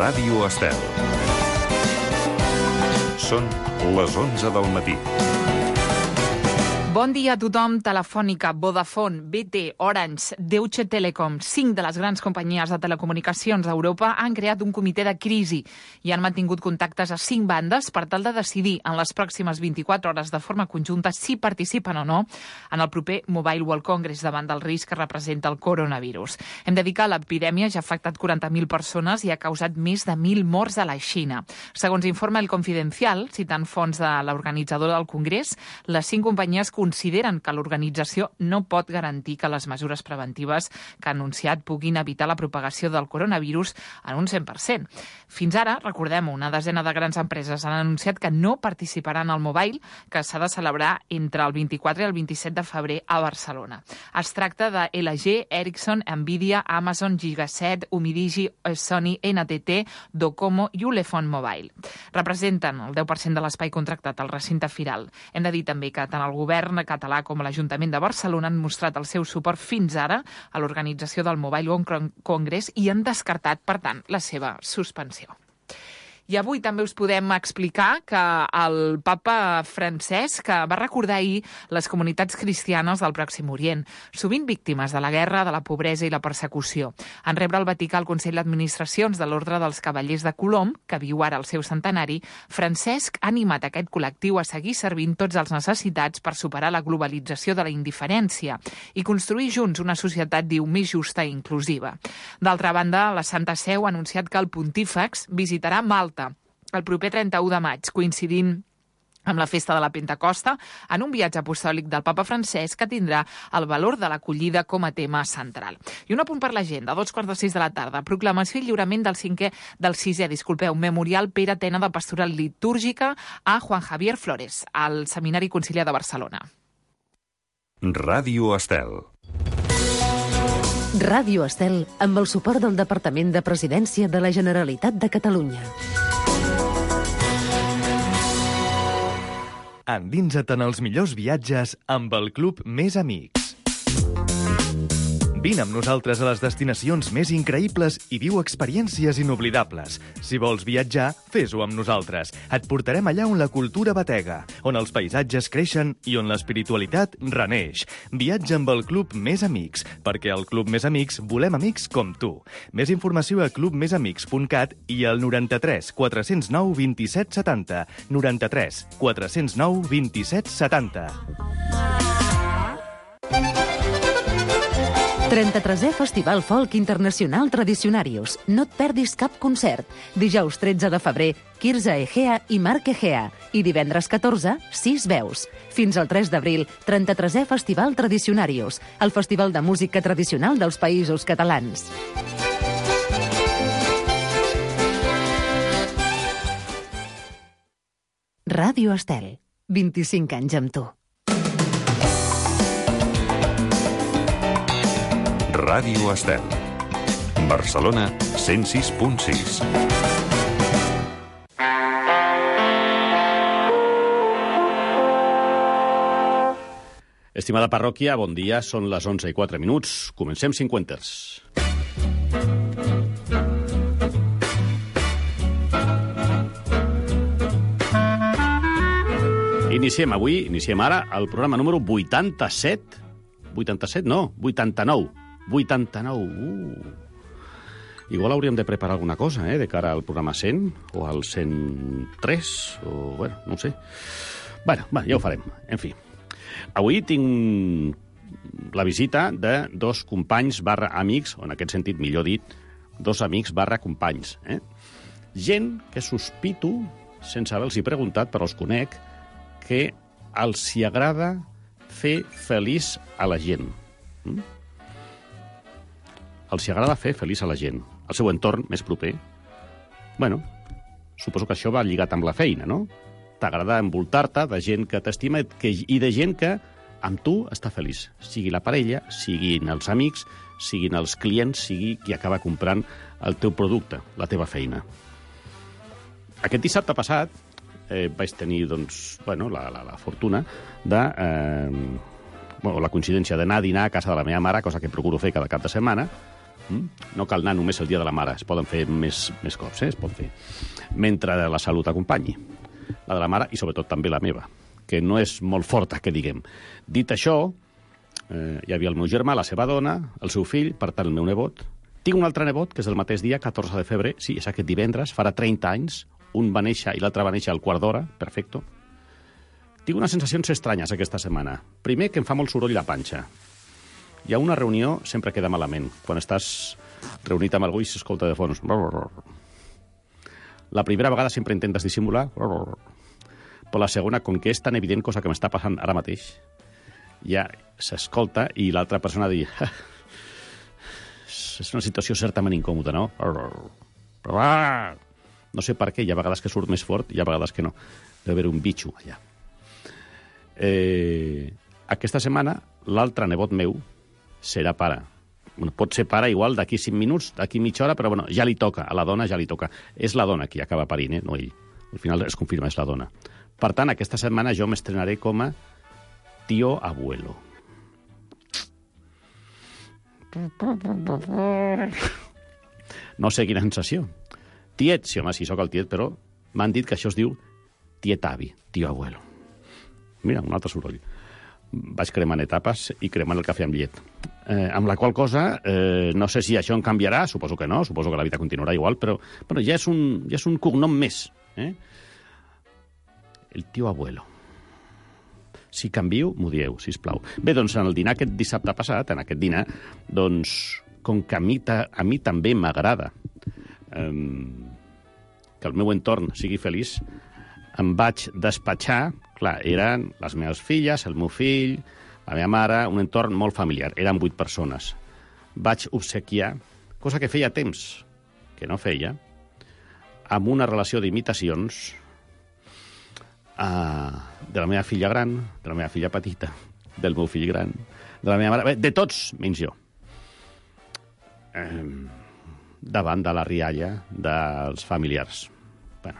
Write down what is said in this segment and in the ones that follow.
Ràdio Estel. Són les 11 del matí. Bon dia a tothom. Telefònica, Vodafone, BT, Orange, Deutsche Telekom, 5 de les grans companyies de telecomunicacions d'Europa han creat un comitè de crisi i han mantingut contactes a 5 bandes per tal de decidir en les pròximes 24 hores de forma conjunta si participen o no en el proper Mobile World Congress davant del risc que representa el coronavirus. Hem de dir que l'epidèmia ja ha afectat 40.000 persones i ha causat més de 1.000 morts a la Xina. Segons informa El Confidencial, citant fonts de l'organitzadora del Congrés, les 5 companyies consideren que l'organització no pot garantir que les mesures preventives que ha anunciat puguin evitar la propagació del coronavirus en un 100%. Fins ara, recordem-ho, una desena de grans empreses han anunciat que no participaran al Mobile, que s'ha de celebrar entre el 24 i el 27 de febrer a Barcelona. Es tracta de LG, Ericsson, Nvidia, Amazon, Gigaset, Umidigi, Sony, NTT, Docomo i Ulefone Mobile. Representen el 10% de l'espai contractat al recinte firal. Hem de dir també que tant el govern català com l'Ajuntament de Barcelona han mostrat el seu suport fins ara a l'organització del Mobile World Congress i han descartat, per tant, la seva suspensió. I avui també us podem explicar que el papa Francesc va recordar ahir les comunitats cristianes del Pròxim Orient, sovint víctimes de la guerra, de la pobresa i la persecució. En rebre al Vaticà el Consell d'Administracions de l'Ordre dels Cavallers de Colom, que viu ara al seu centenari, Francesc ha animat aquest col·lectiu a seguir servint tots els necessitats per superar la globalització de la indiferència i construir junts una societat, diu, més justa i inclusiva. D'altra banda, la Santa Seu ha anunciat que el pontífex visitarà Malta el proper 31 de maig, coincidint amb la festa de la Pentecosta, en un viatge apostòlic del papa Francesc que tindrà el valor de l'acollida com a tema central. I un apunt per l'agenda, a 5:45 de la tarda, proclamació i lliurament del sisè memorial Pere Tena de Pastoral Litúrgica a Juan Javier Flores, al Seminari Conciliar de Barcelona. Ràdio Estel. Ràdio Estel, amb el suport del Departament de Presidència de la Generalitat de Catalunya. Endinsa't en els millors viatges amb el Club Més Amics. Vine amb nosaltres a les destinacions més increïbles i viu experiències inoblidables. Si vols viatjar, fes-ho amb nosaltres. Et portarem allà on la cultura batega, on els paisatges creixen i on l'espiritualitat reneix. Viatja amb el Club Més Amics, perquè al Club Més Amics volem amics com tu. Més informació a clubmesamics.cat i al 93 409 27 70. 93 409 27 70. 33è Festival Folk Internacional Tradicionarius. No et perdis cap concert. Dijous 13 de febrer, Quirze Egea i Marc Egea. I divendres 14, 6 veus. Fins al 3 d'abril, 33è Festival Tradicionarius, el festival de música tradicional dels Països Catalans. Ràdio Estel. 25 anys amb tu. Ràdio Estel. Barcelona 106.6. Estimada parròquia, bon dia. Són les 11:04. Comencem Cinquenters. Iniciem ara el programa número 87. 87, no, 89. 89. Igual hauríem de preparar alguna cosa, de cara al programa 100 o al 103, o, bueno, no ho sé. Bueno, ja ho farem, en fi. Avui tinc la visita de dos companys / amics, o en aquest sentit, millor dit, dos amics / companys. Gent que sospito, sense haver-los preguntat, però els conec, que els hi agrada fer feliç a la gent. Els hi agrada fer feliç a la gent, al seu entorn més proper. Bueno, suposo que això va lligat amb la feina, no? T'agrada envoltar-te de gent que t'estima i de gent que amb tu està feliç. Sigui la parella, siguin els amics, siguin els clients, sigui qui acaba comprant el teu producte, la teva feina. Aquest dissabte passat vaig tenir, doncs, la fortuna de... la coincidència d'anar a dinar a casa de la meva mare, cosa que procuro fer cada cap de setmana, No cal anar només el dia de la mare, es poden fer més cops, es pot fer. Mentre la salut acompanyi. La de la mare i sobretot també la meva, que no és molt forta, que diguem. Dit això, hi havia el meu germà, la seva dona, el seu fill, per tant el meu nebot. Tinc un altre nebot, que és el mateix dia, 14 de febrer, sí, és aquest divendres, farà 30 anys, un va néixer i l'altre va néixer al quart d'hora, perfecto. Tinc unes sensacions estranyes aquesta setmana. Primer, que em fa molt soroll la panxa. Hi ha una reunió, sempre queda malament. Quan estàs reunit amb algú i s'escolta de fons. La primera vegada sempre intentes dissimular, però la segona, com que és tan evident, cosa que m'està passant ara mateix, ja s'escolta i l'altra persona diu és una situació certament incòmoda, no? No sé per què, hi ha vegades que surt més fort i hi ha vegades que no. Deu haver un bitxo allà. Aquesta setmana, l'altre nebot meu serà pare. Bueno, pot ser pare igual d'aquí 5 minuts, d'aquí mitja hora, però bueno, ja li toca, a la dona ja li toca. És la dona qui acaba parint, no ell. Al final es confirma, és la dona. Per tant, aquesta setmana jo m'estrenaré com a tío abuelo. No sé quina sensació. Tiet, sí, home, sí, sóc el tiet, però m'han dit que això es diu tietavi, tío abuelo. Mira, un altre soroll. Vaig cremant etapes i cremant el cafè amb llet. Amb la qual cosa, no sé si això en canviarà, suposo que no, suposo que la vida continuarà igual, però bueno, ja és un cognom més. El tío abuelo. Si canvio, m'ho dieu, sisplau. Bé, doncs, en el dinar aquest dissabte passat, en aquest dinar, doncs, com que a mi també m'agrada que el meu entorn sigui feliç, em vaig despatxar, clar, eren les meves filles, el meu fill, la meva mare, un entorn molt familiar. Eren 8 persones. Vaig obsequiar, cosa que feia temps que no feia, amb una relació d'imitacions de la meva filla gran, de la meva filla petita, del meu fill gran, de la meva mare, de tots, menys jo. Davant de la rialla dels familiars. Bueno,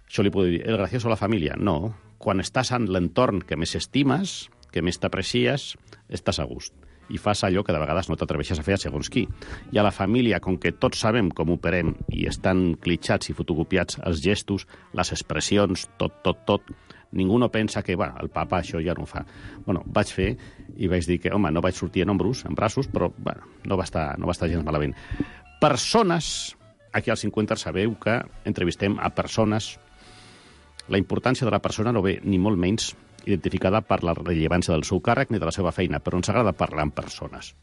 això li puc dir, el gracioso a la família? No. Quan estàs en l'entorn que més estimes, que més t'aprecies, estàs a gust. I fas allò que de vegades no t'atreveixes a fer a segons qui. I a la família, com que tots sabem com operem i estan clitxats i fotocopiats els gestos, les expressions, tot, ningú no pensa que, el papa això ja no ho fa. Bueno, vaig fer i vaig dir que, home, no vaig sortir en braços, però, no va estar gens malament. Persones, aquí als 50 sabeu que entrevistem a persones. La importància de la persona no ve ni molt menys identificada per la rellevància del seu càrrec ni de la seva feina, però ens agrada parlar amb persones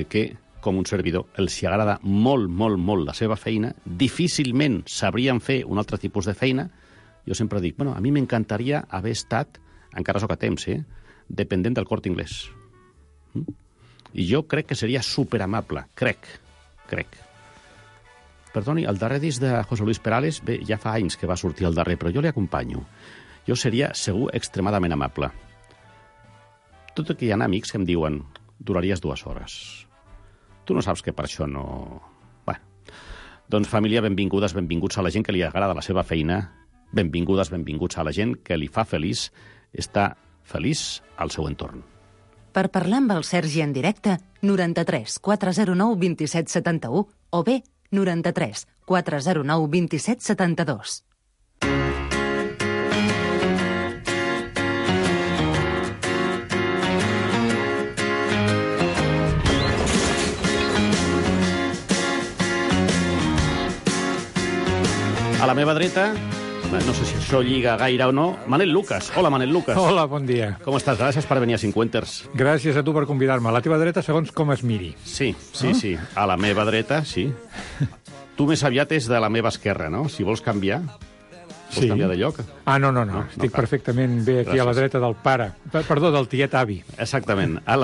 que, com un servidor, els agrada molt, molt, molt la seva feina, difícilment sabrien fer un altre tipus de feina. Jo sempre dic, a mi m'encantaria haver estat, encara soc a temps, dependent del Corte Inglés. I jo crec que seria superamable, crec. Perdoni, el darrer disc de José Luis Perales, bé, ja fa anys que va sortir el darrer, però jo li acompanyo. Jo seria, segur, extremadament amable. Tot i que hi ha amics que em diuen duraries 2 hores. Tu no saps que per això no... Doncs, família, benvingudes, benvinguts a la gent que li agrada la seva feina, benvinguts a la gent que li fa feliç estar feliç al seu entorn. Per parlar amb el Sergi en directe, 93 409 27 71 o bé 93 409 27 72. A la meva dreta, no sé si això lliga gaire o no, Manel Lucas. Hola, Manel Lucas. Hola, bon dia. Com estàs? Gràcies per venir a 50ers. Gràcies a tu per convidar-me. A la teva dreta, segons com es miri. Sí. A la meva dreta, sí. Tu més aviat és de la meva esquerra, no? Si vols canviar, vols canviar de lloc? No. Estic perfectament bé aquí. Gràcies. A la dreta del pare. Perdó, del tiet avi. Exactament. A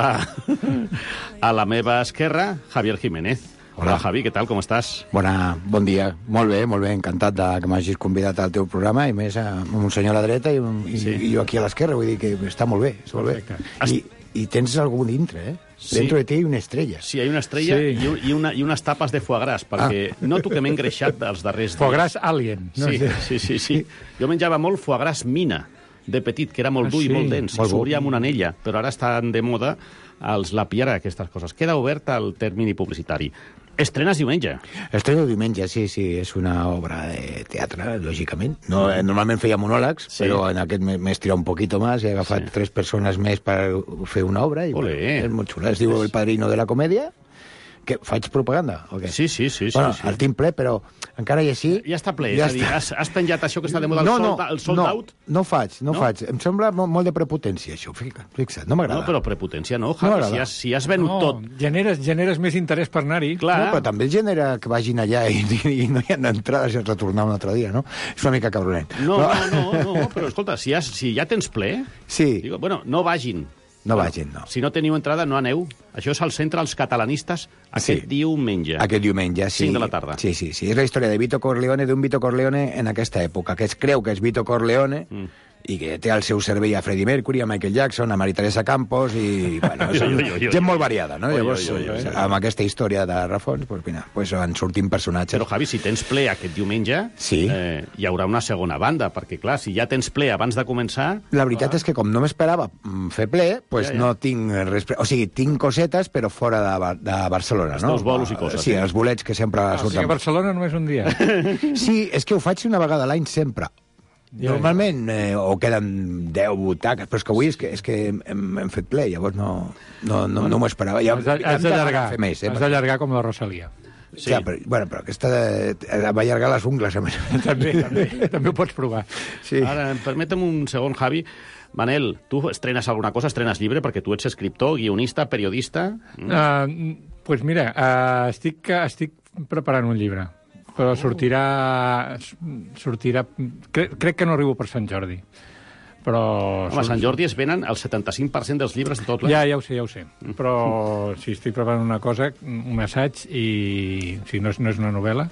la meva esquerra, Javier Jiménez. Hola, Javi, què tal, com estàs? Bon dia. Molt bé, encantat que m'hagis convidat al teu programa, i més amb un senyor a la dreta i jo aquí a l'esquerra, vull dir que està molt bé. Està molt bé. I tens algú dintre, Sí. Dentro de ti hi ha una estrella. Sí, hi ha una estrella i unes tapes de foie gras, perquè noto que m'he engreixat els darrers dies. Foie gras alien. No? Sí. Jo menjava molt foie gras mina, de petit, que era molt dur i molt dens, s'obria amb una anella, però ara estan de moda la PR, aquestes coses. Queda obert el termini publicitari. Estrenes diumenge. Estreno diumenge, sí, és una obra de teatre, lògicament. No, normalment feia monòlegs, però en aquest m'he estirat un poquito más, he agafat 3 persones més per fer una obra, i és molt xula. Es diu El Padrino de la Comèdia. Que faig propaganda, o què? Sí. Bueno, el tinc ple, però encara i així... Ja està ple, és a dir, has penjat això que està de moda, el sold out? No faig. Em sembla molt de prepotència, això, fixa't, no m'agrada. No, però prepotència no, Javi, si has venut tot... Generes més interès per anar-hi. No, però també genera que vagin allà i no hi ha entrades i has retornar un altre dia, no? És una mica cabronet. No, però escolta, si ja tens ple... Sí. Bueno, no vagin. No vagin, no. Si no teniu entrada, no aneu. Això és al centre dels catalanistes aquest diumenge. Aquest diumenge, sí. 5 de la tarda. Sí. És la història de Vito Corleone, d'un Vito Corleone en aquesta època, que es creu que és Vito Corleone i que té al seu servei a Freddie Mercury, a Michael Jackson, a Maria Teresa Campos i, bueno, gent molt variada, no? Llavors, amb aquesta història de rafons, doncs van sortint personatges. Però, Javi, si tens ple aquest diumenge, hi haurà una segona banda, perquè, clar, si ja tens ple abans de començar... La veritat és que, com no m'esperava fer ple, doncs no tinc res... O sigui, tinc cosetes, però fora de Barcelona, no? Els teus bolos i coses. Sí, els bolets que sempre surten. O sigui, a Barcelona només un dia. Sí, és que ho faig una vegada a l'any sempre. Normalment o queden 10 butaques, però és que avui és que hem fet ple, llavors no m'ho esperava. Has d'allargar com la Rosalia. Sí. Clar, però aquesta va allargar les ungles. També ho pots provar. Sí. Ara, permetem un segon, Javi. Manel, tu estrenes alguna cosa? Estrenes llibre? Perquè tu ets escriptor, guionista, periodista... Pues mira, estic preparant un llibre, però sortirà... Crec que no arribo per Sant Jordi. Però... Home, a Sant Jordi es venen el 75% dels llibres de tot l'any. Ja ho sé. Però si estic preparant una cosa, un assaig, i si no és una novel·la...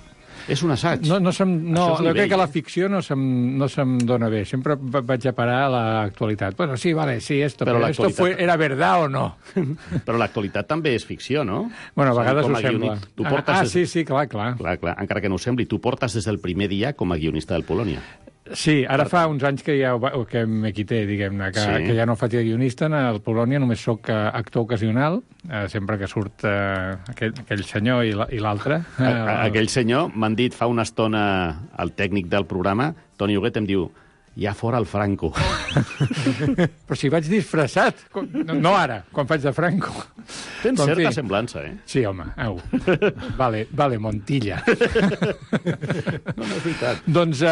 És un assaig? No, crec que la ficció no se'm dona bé. Sempre vaig a parar a l'actualitat. Bueno, sí, vale, sí, esto era verdad o no? Però l'actualitat també és ficció, no? Bueno, a vegades ho sembla. Sí, clar. Clar, encara que no ho sembli. Tu portes des del primer dia com a guionista del Polònia. Sí, ara fa uns anys que me quité, diguem-ne, que ja no faig de guionista. Al Polònia només sóc actor ocasional, sempre que surt aquell senyor i l'altre. Aquell senyor, m'han dit fa una estona el tècnic del programa, Toni Huguet, em diu: ja fora el Franco. Però si vaig disfressat. No ara, quan faig de Franco. Tens certa semblança, eh? Sí, home, au. Vale, Montilla. No, és veritat. Doncs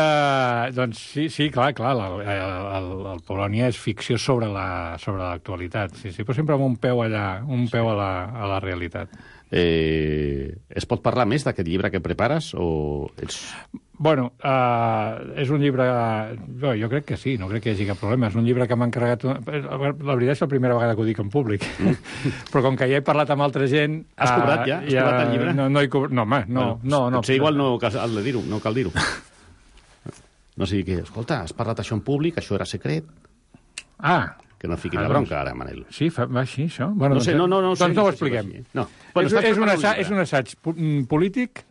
sí, clar, el Polònia és ficció sobre l'actualitat. Sí, però sempre amb un peu allà, un peu a la realitat. Es pot parlar més d'aquest llibre que prepares? Bueno, és un llibre... Jo crec que sí, no crec que hi hagi cap problema. És un llibre que m'ha encarregat... La veritat és la primera vegada que ho dic en públic. Però com que ja he parlat amb altra gent... Has cobrat ja? Has cobrat el llibre? No he cobrat... No, home, no. Potser igual no cal dir-ho. No sigui que, escolta, has parlat això en públic, això era secret... Que no fiquin la bronca, ara, Manel. Sí, va així, això? Bueno, no sé. Doncs no ho expliquem. És un assaig polític,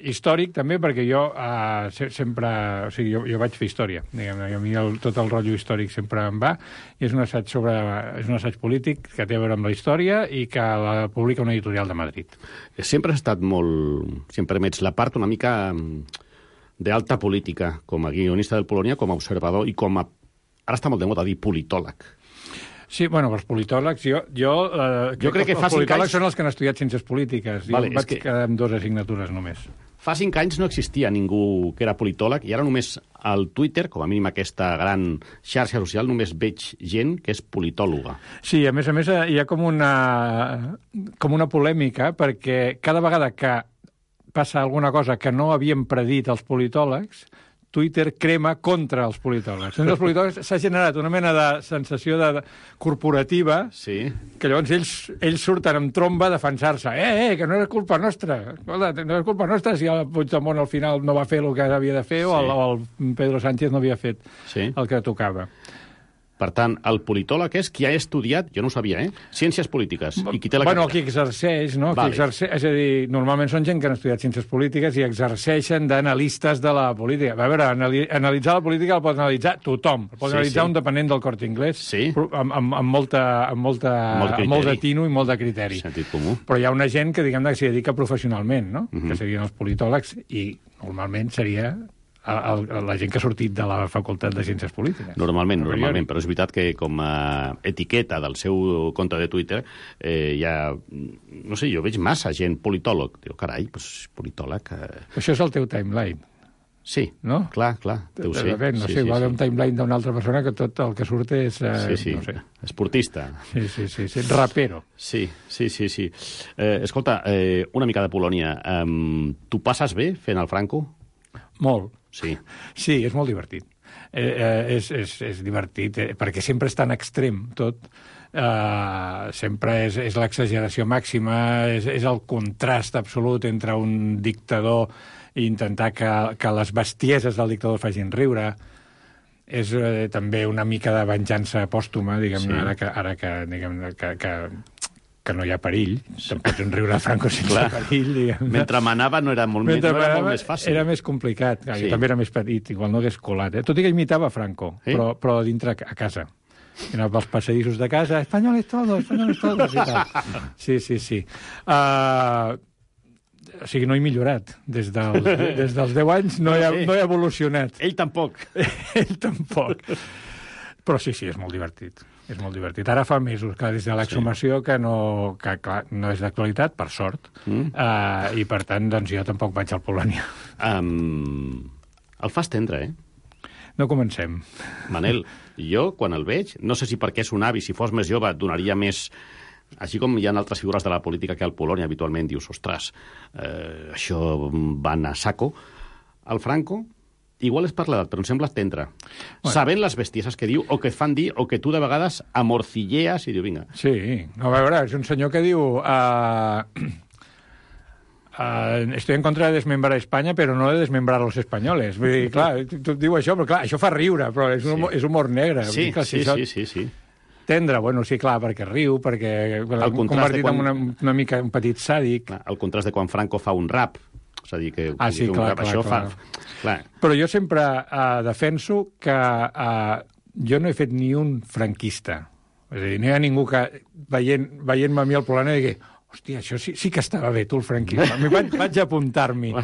històric, també, perquè jo sempre... O sigui, jo vaig fer història, diguem-ne, i a mi tot el rotllo històric sempre em va, i és un assaig polític que té a veure amb la història i que la publica una editorial de Madrid. Sempre has estat molt... Si em permets, la part una mica d'alta política, com a guionista del Polònia, com a observador i com a... Ara està molt de moda dir politòleg. Sí, bueno, els politòlegs... Jo crec que els politòlegs són els que han estudiat ciències polítiques. Jo vaig quedar amb 2 assignatures només. Fa 5 anys no existia ningú que era politòleg i ara només al Twitter, com a mínim aquesta gran xarxa social, només veig gent que és politòloga. Sí, a més hi ha com una polèmica, perquè cada vegada que passa alguna cosa que no havien predit els politòlegs, Twitter crema contra els politòlegs. Els politòlegs s'ha generat una mena de sensació corporativa, que llavors ells surten amb tromba a defensar-se. Que no era culpa nostra. No era culpa nostra si el Puigdemont al final no va fer el que havia de fer o el Pedro Sánchez no havia fet el que tocava. Per tant, el politòleg és qui ha estudiat, jo no ho sabia, ciències polítiques, i qui té la Bueno, carrera. qui exerceix, no? Vale. Qui exerceix, és a dir, normalment són gent que han estudiat ciències polítiques i exerceixen d'analistes de la política. A veure, analitzar la política el pot analitzar tothom. El pot analitzar un dependent del Corte Inglés amb molt de tino i molt de criteri. Sentit comú. Però hi ha una gent que, diguem-ne, que s'hi dedica professionalment, no? Que serien els politòlegs, i normalment seria la gent que ha sortit de la Facultat de Ciències Polítiques. Normalment, però és veritat que com a etiqueta del seu compte de Twitter no sé, jo veig massa gent politòleg. Diu, carai, doncs politòleg... Això és el teu timeline. Sí, no? Clar, deu ser. No sé, igual un timeline d'una altra persona que tot el que surt és... no sé. Esportista. Sí, rapero. Sí. Escolta, una mica de Polònia. Tu passes bé fent el Franco? Molt. Sí, és molt divertit. És divertit, perquè sempre és tan extrem tot. Sempre és l'exageració màxima, és el contrast absolut entre un dictador i intentar que les bestieses del dictador facin riure. És també una mica de venjança pòstuma, diguem-ne, ara que no hi ha perill. Te'n pots riure a Franco sense perill, diguem-ne. Mentre manava no era molt més fàcil. Era més complicat. Jo també era més petit, igual no hagués colat. Tot i que imitava Franco, però dintre a casa. Anava pels passadissos de casa, españoles todos, i tal. Sí. O sigui, no he millorat. Des dels 10 anys no he evolucionat. Ell tampoc. Ell tampoc. Però sí, és molt divertit. És molt divertit. Ara fa mesos, clar, des de l'exhumació, que clar, no és d'actualitat, per sort, i per tant, doncs jo tampoc vaig al Polònia. El fas tendre, No comencem. Manel, jo, quan el veig, no sé si perquè és un avi, si fos més jove, et donaria més... Així com hi ha altres figures de la política que al Polònia habitualment dius, ostres, això van a saco. El Franco... Igual és per l'edat, però em sembla tendre. Bueno. Sabent les bestieses que diu, o que et fan dir, o que tu de vegades amorcillees i diu, vinga. Sí, a veure, és un senyor que diu... estoy en contra de desmembrar Espanya, però no de desmembrar los españoles. Vull dir, clar, tu diu això, però clar, això fa riure, però és humor negre. Sí. Tendre, bueno, sí, clar, perquè riu, perquè convertit en una mica un petit sàdic. El contrast de quan Franco fa un rap. És a dir, que clar. Però jo sempre defenso que jo no he fet ni un franquista. És a dir, no hi ha ningú que, veient-me a mi al Polònia, digui, hòstia, això sí que estava bé, tu, el franquisme. Vaig apuntar-m'hi.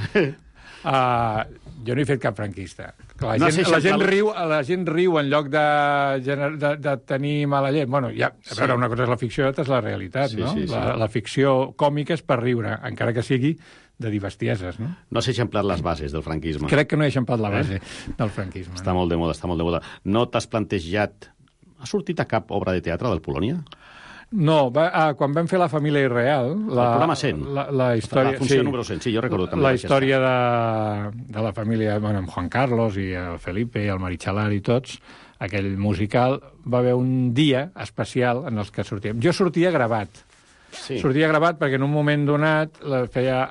Jo no he fet cap franquista. La gent riu en lloc de tenir mala llet. Bueno, a veure, una cosa és la ficció i l'altra és la realitat, no? La ficció còmica és per riure, encara que sigui de dir bestieses, no? No has eixamplat les bases del franquisme. Crec que no he eixamplat la base del franquisme. Està molt de moda. No t'has plantejat... Ha sortit a cap obra de teatre del Polònia? No, quan vam fer La família irreal... El programa 100. La història... La funció número 100, sí, jo recordo també. La història de la família, bueno, amb Juan Carlos i el Felipe i el Marichalar i tots, aquell musical, va haver un dia especial en els que sortíem. Jo sortia gravat. Sí. Sortia gravat perquè en un moment donat tenia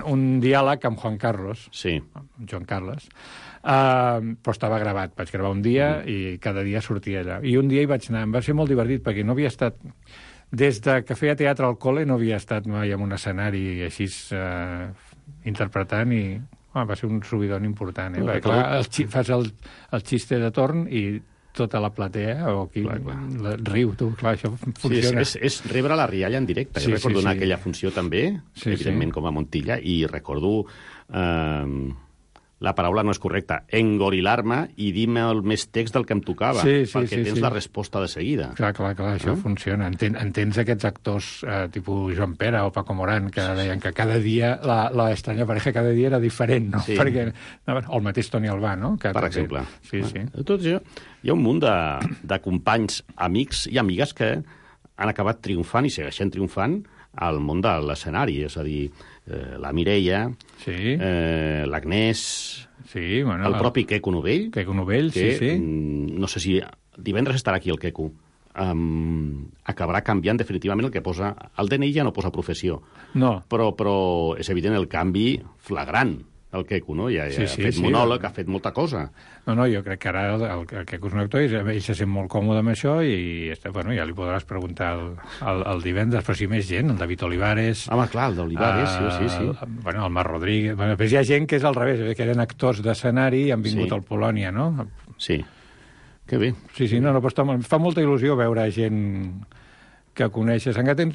un diàleg amb Juan Carlos, amb Joan Carles, però estava gravat. Vaig gravar un dia i cada dia sortia allà. I un dia hi vaig anar. Em va ser molt divertit perquè no havia estat... Des que feia teatre al col·le no havia estat mai en un escenari així interpretant i va ser un subidon important. Perquè, clar, fas el xiste de torn i tota la platea o aquí riu, tu, clar, això funciona. Sí, és rebre la rialla en directe. Jo recordo anar a aquella funció també, evidentment com a Montilla, i recordo... la paraula no és correcta, engorilar-me i dir-me el més text del que em tocava, perquè tens la resposta de seguida. Clar, això funciona. Entens aquests actors tipus Joan Pera o Paco Morán que deien que cada dia, la estranya pareja cada dia era diferent, no? Perquè, o el mateix Toni Albà, no? Per exemple. Sí. Tot això, hi ha un munt de companys, amics i amigues que han acabat triomfant i segueixen triomfant al món de l'escenari, és a dir, la Mireia, l'Agnès, el propi Queco Novell, que no sé si divendres estarà aquí el Queco, acabarà canviant definitivament el que posa... El DNI ja no posa professió, però és evident el canvi flagrant. el Queco, no? Ja Sí, ha fet monòleg, ha fet molta cosa. No, jo crec que ara el Queco és un actor, ell se sent molt còmode amb això i bueno, ja li podràs preguntar el divendres, però sí més gent, el David Olivares... Home, clar, el d'Olivares, sí. Bueno, el Marc Rodríguez... Bueno, després hi ha gent que és al revés, que eren actors d'escenari i han vingut al Polònia, no? Sí. Que bé. Sí, no, però fa molta il·lusió veure gent que coneixes. Encara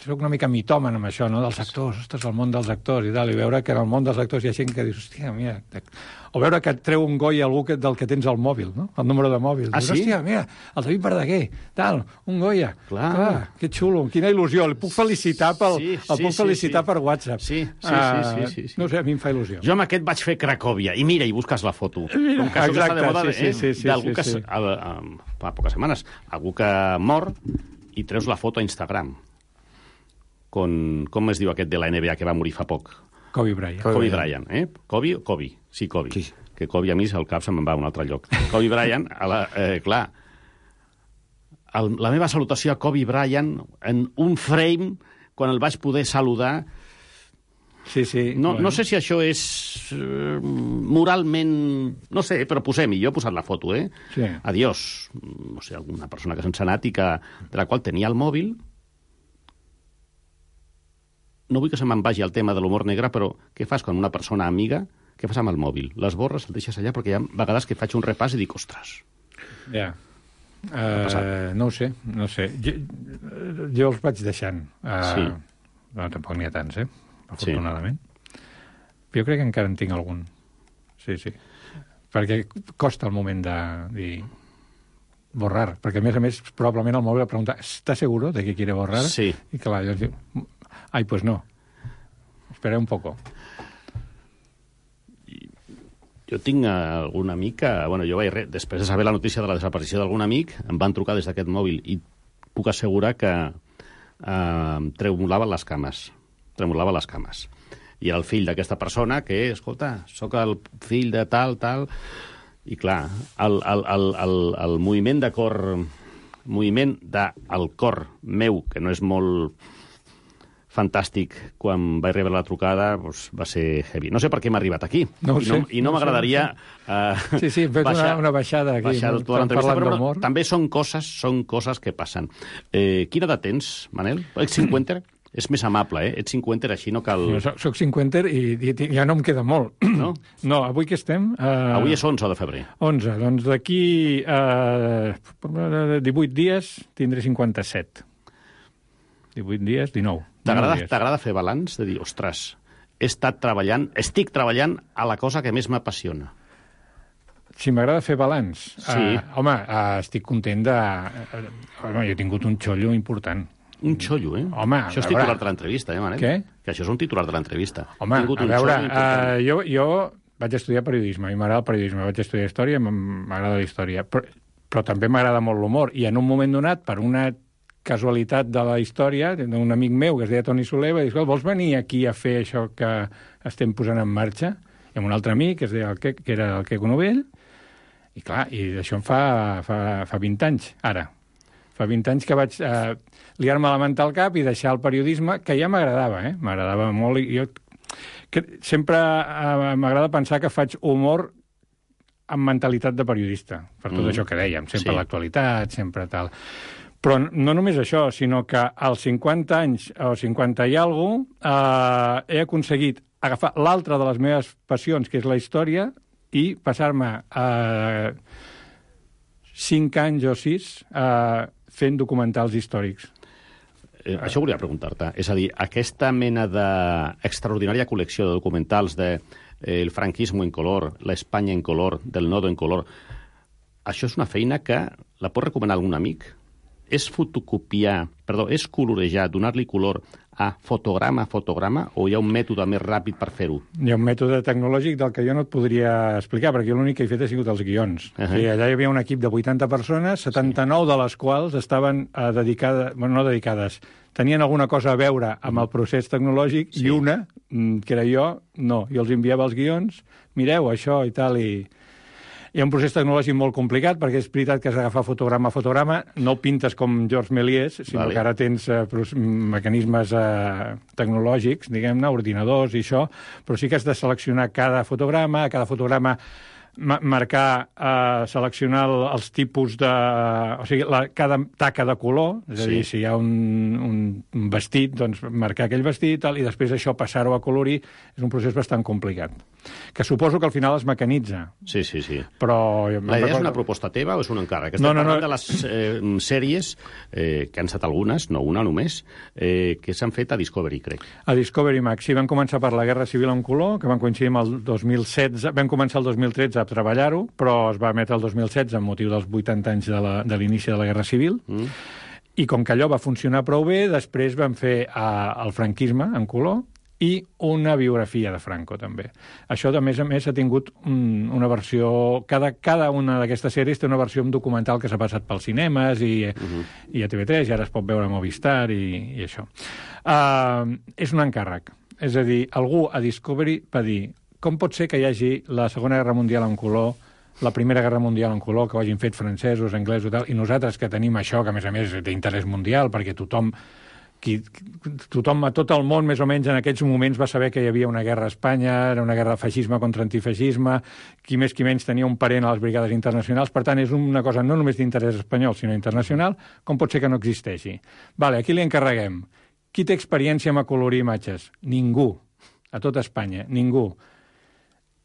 soc una mica mitòman amb això, no?, dels actors, ostres, el món dels actors i tal, i veure que en el món dels actors hi ha gent que dius, hòstia, mira... O veure que et treu un goi algú del que tens al mòbil, no?, el número de mòbil. Ah, dius, sí? Hòstia, mira, el David Verdaguer, tal, un Goya. Clar, que xulo, quina il·lusió. El puc felicitar per WhatsApp. Sí. No sé, a mi em fa il·lusió. Jo amb aquest vaig fer Cracòvia, i mira, i busques la foto. Com que això que està de moda d'algú que fa poques setmanes, algú que mor i treus la foto a Instagram. Com es diu aquest de la NBA que va morir fa poc? Kobe Bryant. Kobe Bryant, eh? Kobe o Kobe? Sí, Kobe. Sí. Que Kobe a mi al cap se'm va a un altre lloc. Kobe Bryant, clar, la meva salutació a Kobe Bryant en un frame, quan el vaig poder saludar... Sí. No sé si això és moralment... No sé, però posem-hi. Jo he posat la foto, eh? Sí. Adiós. No sé, alguna persona que se'ns ha anat i de la qual tenia el mòbil. No vull que se me'n vagi el tema de l'humor negre, però què fas quan una persona amiga... Què fas amb el mòbil? Les borres, el deixes allà? Perquè hi ha vegades que faig un repàs i dic, ostres... Ja. No ho sé. Jo els vaig deixant. Sí. No, tampoc n'hi ha tants, afortunadament. Sí. Però jo crec que encara en tinc algun. Sí. Perquè costa el moment de dir borrar. Perquè, a més, probablement el mòbil pregunta ¿está seguro de que quiere borrar? Sí. I clar, jo dic, ai, pues no. Espera un poco. Jo tinc algun amic que... Bueno, jo després de saber la notícia de la desaparició d'algun amic, em van trucar des d'aquest mòbil i puc assegurar que tremolava les cames. I era el fill d'aquesta persona que, escolta, sóc el fill de tal... I clar, el moviment de cor... moviment del cor meu, que no és molt fantàstic, quan vaig rebre la trucada, doncs va ser heavy. No sé per què m'ha arribat aquí. I no m'agradaria... Sí, hem fet una baixada aquí. Però també són coses que passen. Quina edat tens, Manel? Ets 50? És més amable, Ets 50, així no cal... Soc 50 i ja no em queda molt. No? No, avui que estem... Avui és 11 de febrer. 11, doncs d'aquí 18 dies tindré 57. 18 dies, 19. T'agrada fer balanç? De dir, ostres, estic treballant a la cosa que més m'apassiona. Si m'agrada fer balanç? Sí. Estic content de... jo he tingut un xollo important. Un xollo, Home, això és titular de l'entrevista, Manel? Què? Que això és un titular de l'entrevista. Home, a veure, jo vaig estudiar periodisme, a mi m'agrada el periodisme, vaig estudiar història, m'agrada la història, però també m'agrada molt l'humor, i en un moment donat, per una casualitat de la història, d'un amic meu que es deia Toni Soler, va dir, vols venir aquí a fer això que estem posant en marxa? I amb un altre amic, que era el Queco Novell, i clar, i d'això em fa 20 anys, ara. Fa 20 anys que vaig liar-me la manta al cap i deixar el periodisme, que ja m'agradava, m'agradava molt. I jo sempre m'agrada pensar que faig humor amb mentalitat de periodista, per tot això que dèiem, sempre l'actualitat, sempre tal. Però no només això, sinó que als 50 anys o 50 i alguna cosa he aconseguit agafar l'altra de les meves passions, que és la història, i passar-me 5 anys o 6 fent documentals històrics. Això volia preguntar-te. És a dir, aquesta mena d'extraordinària col·lecció de documentals de el franquismo en color, l'Espanya en color, del nodo en color, això és una feina que la pot recomanar algun amic? És és colorejar, donar-li color a fotograma a fotograma, o hi ha un mètode més ràpid per fer-ho? Hi ha un mètode tecnològic del que jo no et podria explicar, perquè jo l'únic que he fet ha sigut els guions. Allà hi havia un equip de 80 persones, 79 de les quals estaven dedicades, tenien alguna cosa a veure amb el procés tecnològic, i una, que era jo, no. Jo els enviava els guions, mireu això i tal, Hi ha un procés tecnològic molt complicat, perquè és veritat que has d'agafar fotograma a fotograma, no pintes com Georges Méliès, sinó que ara tens mecanismes tecnològics, diguem-ne, ordinadors i això, però sí que has de seleccionar cada fotograma marcar, seleccionar els tipus de... O sigui, cada taca de color, és a dir, si hi ha un vestit, doncs marcar aquell vestit, i després això passar-ho a colorir, és un procés bastant complicat. Que suposo que al final es mecanitza. Sí. Però... La idea és una proposta teva o és un encàrrec? Estem parlant de les sèries, que han estat algunes, no una només, que s'han fet a Discovery, crec. A Discovery Max, sí, van començar per la Guerra Civil en color, que van coincidir amb el 2016, vam començar el 2013 a treballar-ho, però es va emetre el 2016 amb motiu dels 80 anys de l'inici de la Guerra Civil, i com que allò va funcionar prou bé, després vam fer el franquisme en color i una biografia de Franco, també. Això, a més, ha tingut una versió... Cada una d'aquestes sèries té una versió documental que s'ha passat pels cinemes i a TV3, i ara es pot veure a Movistar i això. És un encàrrec. És a dir, algú a Discovery va dir: com pot ser que hi hagi la Segona Guerra Mundial en color, la Primera Guerra Mundial en color, que ho hagin fet francesos, anglesos i tal, i nosaltres que tenim això, que a més d'interès mundial, perquè tothom a tot el món, més o menys, en aquells moments va saber que hi havia una guerra a Espanya, era una guerra de feixisme contra antifeixisme, qui més qui menys tenia un parent a les brigades internacionals, per tant, és una cosa no només d'interès espanyol, sinó internacional, com pot ser que no existeixi? Vale, aquí li encarreguem. Qui té experiència en acolorir imatges? Ningú. A tot Espanya, ningú.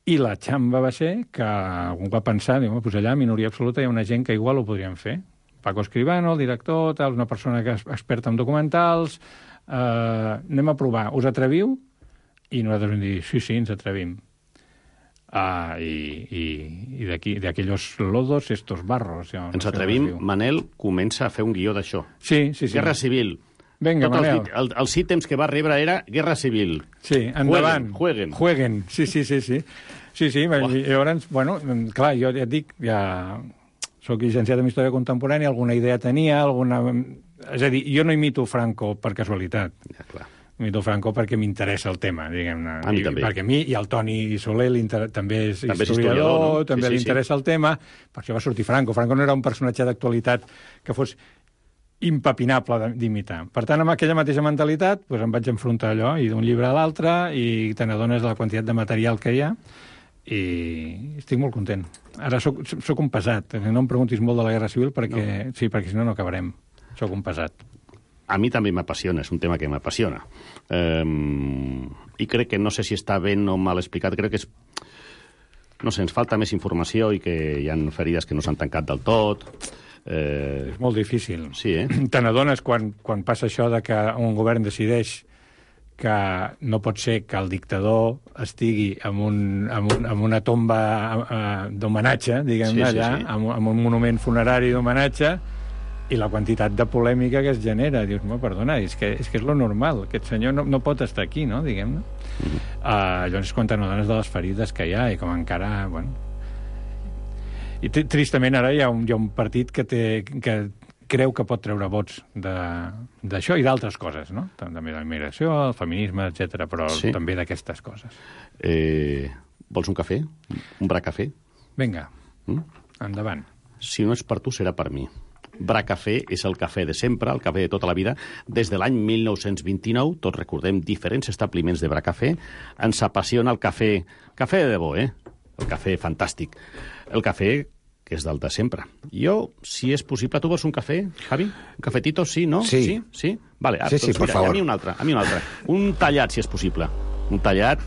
I la xamba va ser que algú va pensar, doncs allà, minoria absoluta, hi ha una gent que igual ho podrien fer. Paco Escribano, el director, tal, una persona que és experta en documentals, anem a provar, us atreviu? I nosaltres vam dir, sí, ens atrevim. I d'aquells lodos, estos barros. Ja, ens atrevim, Manel comença a fer un guió d'això. Sí. Guerra Civil. Vinga, Manel. Els ítems que va rebre era Guerra Civil. Sí, endavant. Jueguen. Sí. I llavors, bueno, clar, jo ja et dic, ja soc llicenciat en Història Contemporània, alguna idea tenia, És a dir, jo no imito Franco per casualitat. Ja, clar. Imito Franco perquè m'interessa el tema, diguem-ne. A mi també. Perquè a mi, i el Toni Soler també és historiador, també li interessa el tema, per això va sortir Franco. Franco no era un personatge d'actualitat que fos impepinable d'imitar. Per tant, amb aquella mateixa mentalitat, doncs em vaig enfrontar allò, i d'un llibre a l'altre, i te n'adones de la quantitat de material que hi ha, i estic molt content. Ara soc un pesat, no em preguntis molt de la Guerra Civil, perquè si no acabarem. Soc un pesat. A mi també m'apassiona, és un tema que m'apassiona. I crec que no sé si està ben o mal explicat, crec que és... No sé, ens falta més informació i que hi ha ferides que no s'han tancat del tot. És molt difícil. Sí, Te n'adones quan passa això de que un govern decideix que no pot ser que el dictador estigui en una tomba d'homenatge, diguem-ne, allà, amb un monument funerari d'homenatge, i la quantitat de polèmica que es genera. Dius, perdona, és que és lo normal. Aquest senyor no pot estar aquí, no?, diguem-ne. Llavors, quan te n'adones de les ferides que hi ha, i com encara... Bueno... I tristament ara hi ha un partit que creu que pot treure vots d'això i d'altres coses, no? També de la immigració, el feminisme, etc, però també d'aquestes coses. Vols un cafè? Un bracafè? Vinga, endavant. Si no és per tu, serà per mi. Bracafè és el cafè de sempre, el cafè de tota la vida. Des de l'any 1929, tots recordem diferents establiments de Bracafè. Ens apassiona el cafè de debò, el cafè fantàstic. El cafè que és del de sempre. Jo, si és possible... Tu vols un cafè, Javi? Un cafetito, sí, no? Sí. Sí? Vale, sí, doncs per favor. A mi un altre. Un tallat, si és possible. Un tallat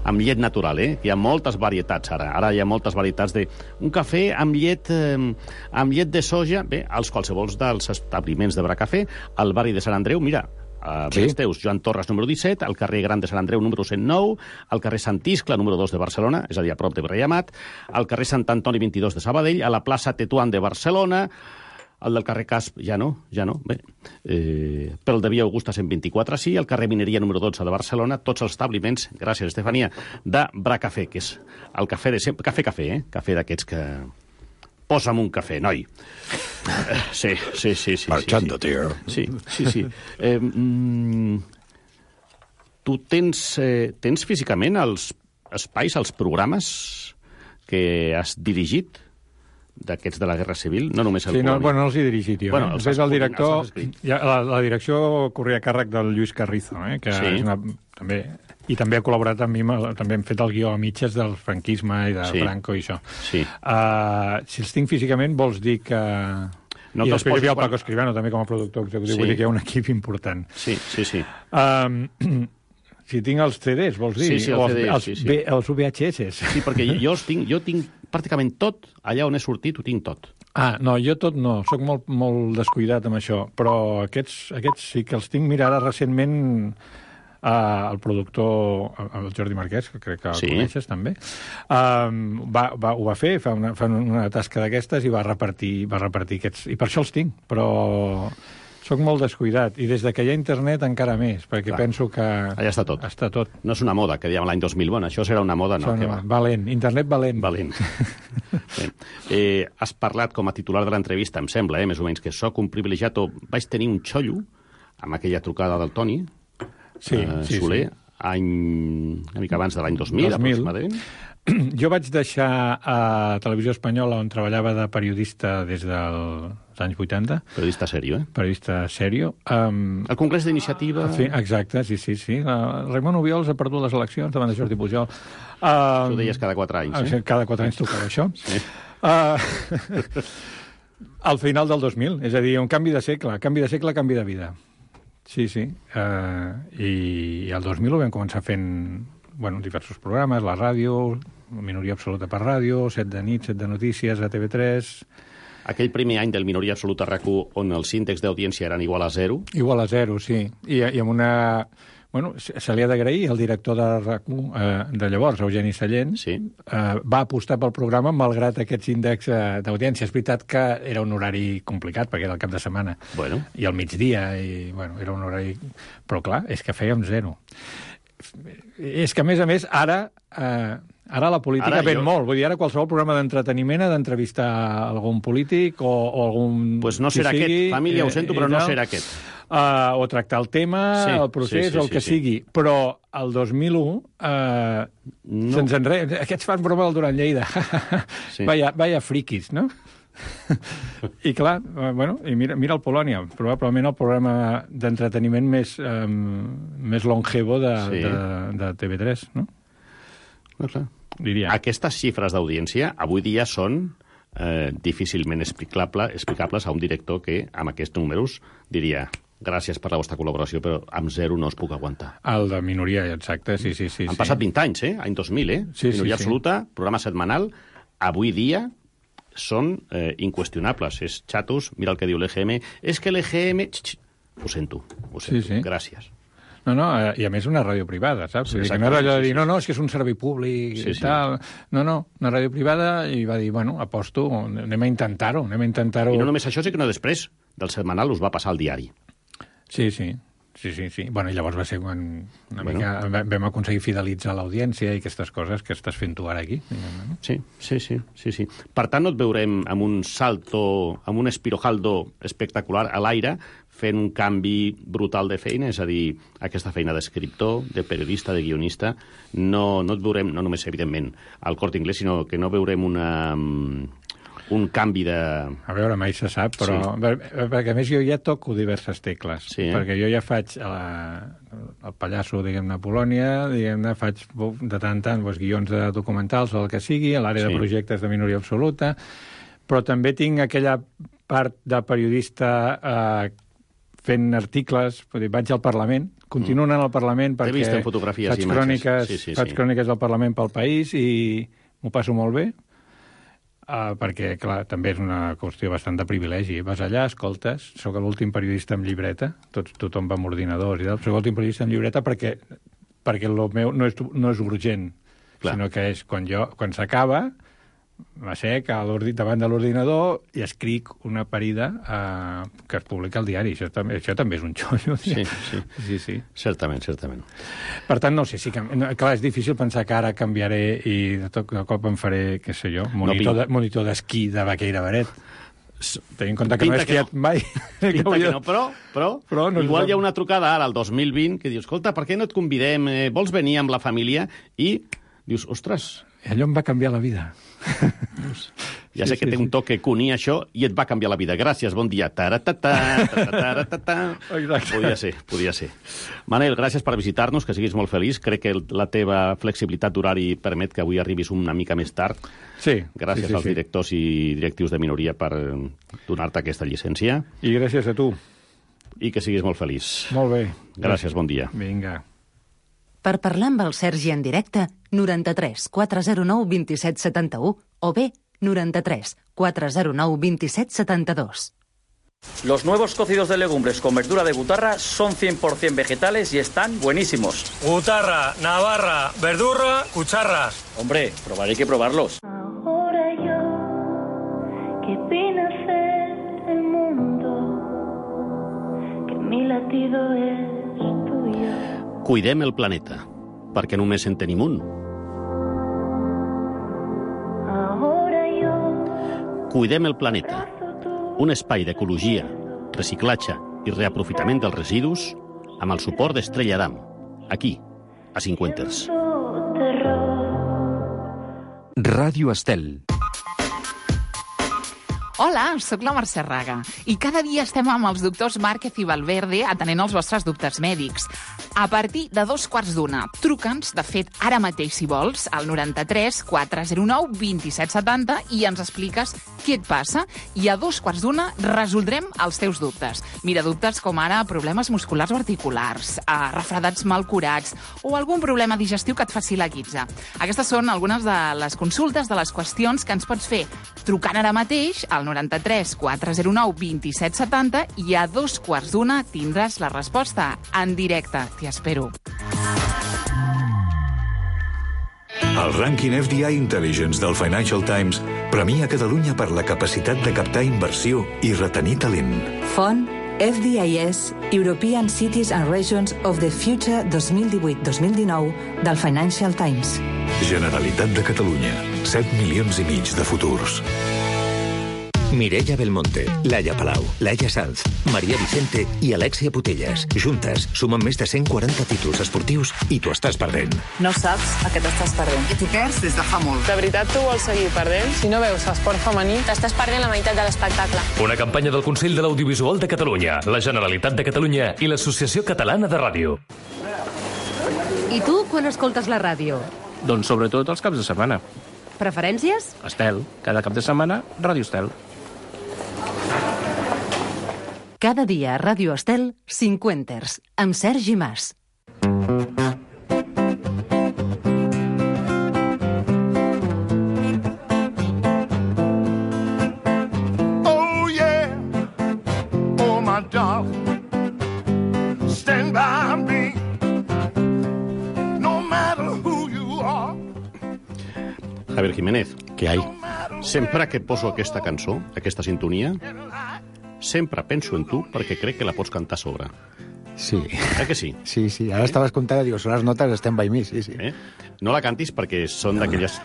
amb llet natural, Hi ha moltes varietats ara. Ara hi ha moltes varietats de... Un cafè amb llet de soja, als qualsevols dels establiments de Bracafè, al barri de Sant Andreu, mira... Bens teus, Joan Torres, número 17, al carrer Gran de Sant Andreu, número 109, al carrer Sant Iscle, número 2 de Barcelona, és a dir, a prop de Breiamat, al carrer Sant Antoni 22 de Sabadell, a la plaça Tetuan de Barcelona, al del carrer Casp, ja no, bé. Pel de Via Augusta 124, sí, al carrer Mineria, número 12 de Barcelona, tots els establiments, gràcies, Estefania, de Bracafè, que és el cafè de sempre, cafè, cafè d'aquests que... Posa'm un cafè, noi. Sí. Marchando, tío. Sí. Tu tens físicament els espais, els programes que has dirigit d'aquests de la Guerra Civil, no només el Sí, no, Polònia. no els he dirigit jo. Bueno, els has el director, els has escrit. la direcció corria a càrrec del Lluís Carrizo, que Sí. és també, i també ha col·laborat amb mi, també hem fet el guió a mitges del franquisme i de Sí. Franco i això. Sí. Si els tinc físicament, vols dir que... No I que els després hi havia el posis Paco Escribano, també com a productor executiu, Sí. vull dir que hi ha un equip important. Sí. Si tinc els CDs, vols dir? Sí, O els CDs, sí. Els VHS. Sí, perquè jo tinc pràcticament tot, allà on he sortit ho tinc tot. No, jo tot no, sóc molt descuidat amb això, però aquests sí que els tinc. Mira, ara recentment el productor, el Jordi Marquès, que crec que el coneixes també, ho va fer, fa una tasca d'aquestes i va repartir aquests, i per això els tinc, però sóc molt descuidat, i des que hi ha internet encara més, perquè penso que... Allà està tot. Està tot. No és una moda, que dèiem l'any 2000, bueno, això serà una moda, no, que va. Valent, internet valent. Valent. Has parlat com a titular de l'entrevista, em sembla, més o menys, que sóc un privilegiat o vaig tenir un xollo amb aquella trucada del Toni, Soler, any una mica abans de l'any 2000, aproximadament. Jo vaig deixar a Televisió Espanyola, on treballava de periodista des dels anys 80. Periodista sèrio, Periodista sèrio. El Congrés d'Iniciativa... Exacte, sí. Raimon Obiols ha perdut les eleccions davant de Jordi Pujol. Ho deies cada 4 anys, Cada 4 anys tocava això. Sí. Al final del 2000, és a dir, un canvi de segle, canvi de vida. Sí. I el 2000 ho vam començar fent diversos programes, la ràdio, Minoria Absoluta per ràdio, 7 de nit, 7 de notícies, a TV3... Aquell primer any del Minoria Absoluta a RAC1, on els índexs d'audiència eren igual a 0. Igual a 0, sí. I amb una... se li ha d'agrair al director de RAC1 de llavors, Eugeni Sallent, va apostar pel programa malgrat aquests índexs d'audiència. És veritat que era un horari complicat, perquè era el cap de setmana. I al migdia, era un horari... Però clar, és que fèiem 0. És que, a més, ara la política ven molt. Vull dir, ara qualsevol programa d'entreteniment ha d'entrevistar algun polític o algun... Doncs no serà aquest. Família, ho sento, però no serà aquest. O tractar el tema, el procés, o el que sigui. Però el 2001 se'ns enreda. Aquests fan broma del Duran Lleida. Vaya friquis, no? I clar, i mira el Polònia, probablement el programa d'entreteniment més longevo de TV3, no? Clar. Diria. Aquestes xifres d'audiència avui dia són difícilment explicables a un director que amb aquests números diria gràcies per la vostra col·laboració, però amb 0 no us puc aguantar. El de Minoria, exacte, sí. Han passat 20 anys, any 2000, Minoria Absoluta, programa setmanal, avui dia són inqüestionables. És xatos, mira el que diu l'EGM. És que l'EGM... Ho sento. Gràcies. No, i a més una ràdio privada, saps? Que no era allò de dir, no, és que és un servei públic i tal. No, una ràdio privada, i va dir, aposto, anem a intentar-ho. I no només això, sinó que després del setmanal us va passar al diari. Sí. I llavors va ser quan mica vam aconseguir fidelitzar l'audiència i aquestes coses que estàs fent tu ara aquí. Sí. Per tant, no et veurem amb un salto, amb un espirojaldo espectacular a l'aire, fent un canvi brutal de feina, és a dir, aquesta feina d'escriptor, de periodista, de guionista, no et veurem, no només, evidentment, al Corte Inglés, sinó que no veurem un canvi de... A veure, mai se sap, però... Perquè, a més, jo ja toco diverses tecles. Perquè jo ja faig el pallasso, diguem-ne, a Polònia, faig de tant en tant guions de documentals o el que sigui, a l'àrea de projectes de Minoria Absoluta, però també tinc aquella part de periodista fent articles, vaig al Parlament, continuo anant al Parlament perquè faig cròniques del Parlament pel país i m'ho passo molt bé, perquè, clar, també és una qüestió bastant de privilegi. Vas allà, escoltes, sóc l'últim periodista amb llibreta, tothom va amb ordinadors i tal, sóc l'últim periodista amb llibreta perquè el meu no és urgent, sinó que és quan s'acaba, m'assec davant de l'ordinador i escric una parida que es publica al diari. Això també és un xollo. Sí. Certament. Per tant, no sé, clar, és difícil pensar que ara canviaré i de cop em faré, què sé jo, monitor d'esquí de Vaqueira Beret. Tenint en compte que no he esquiat mai. Pinta que no, però igual hi ha una trucada ara, al 2020, que dius, escolta, per què no et convidem? Vols venir amb la família? I dius, ostres... Allò em va canviar la vida. Ja sé que té un toc que cunia això i et va canviar la vida. Gràcies, bon dia. Podia ser. Manel, gràcies per visitar-nos, que siguis molt feliç. Crec que la teva flexibilitat d'horari permet que avui arribis una mica més tard. Sí. Gràcies als directors i directius de minoria per donar-te aquesta llicència. I gràcies a tu. I que siguis molt feliç. Molt bé. Gràcies, bon dia. Vinga. Per parlar amb el Sergi en directe, 93 409 27 71 o bé 93 409 27 72. Los nuevos cocidos de legumbres con verdura de butarra son 100% vegetales y están buenísimos. Butarra, navarra, verdurra, cucharras. Hombre, probar hay que probarlos. Ahora yo, que vine a ser el mundo, que mi latido es tuyo. Cuidem el planeta, perquè només en tenim un. Cuidem el planeta, un espai d'ecologia, reciclatge i reaprofitament dels residus amb el suport d'Estrella Damm, aquí, a Cinquenters. Ràdio Estel. Hola, sóc la Mercè Raga i cada dia estem amb els doctors Márquez i Valverde atenent els vostres dubtes mèdics. A partir de 2:15, truca'ns, de fet, ara mateix, si vols, al 93 409 27 70 i ens expliques què et passa i a 2:15 resoldrem els teus dubtes. Mira, dubtes com ara problemes musculars o articulars, refredats mal curats o algun problema digestiu que et faci la guitza. Aquestes són algunes de les consultes, de les qüestions que ens pots fer trucant ara mateix al 93 409 27 70 i a 2:15 tindràs la resposta en directe. T'hi espero. El rànquing FDI Intelligence del Financial Times premia Catalunya per la capacitat de captar inversió i retenir talent. Font FDIS European Cities and Regions of the Future 2018-2019 del Financial Times. Generalitat de Catalunya. 7 milions i mig de futurs. Mireia Belmonte, Laia Palau, Laia Sanz, Maria Vicente i Alexia Putellas. Juntes sumen més de 140 títols esportius i t'ho estàs perdent. No saps a què t'estàs perdent. I t'ho perds des de fa molt. De veritat tu vols seguir perdent? Si no veus esport femení, t'estàs perdent la meitat de l'espectacle. Una campanya del Consell de l'Audiovisual de Catalunya, la Generalitat de Catalunya i l'Associació Catalana de Ràdio. I tu, quan escoltes la ràdio? Doncs sobretot els caps de setmana. Preferències? Estel. Cada cap de setmana, Ràdio Estel. Cada dia a Ràdio Estel, Cinquenters, amb Sergi Mas. Oh yeah, oh my darling, stand by me, no matter who you are. Javier Jiménez. Què hi? Sempre que poso aquesta cançó, aquesta sintonia, sempre penso en tu perquè crec que la pots cantar a sobre. Sí. Que sí? Sí, sí. Ara estaves comptant i dius, són les notes Stand By Me, sí, sí. No la cantis perquè són d'aquells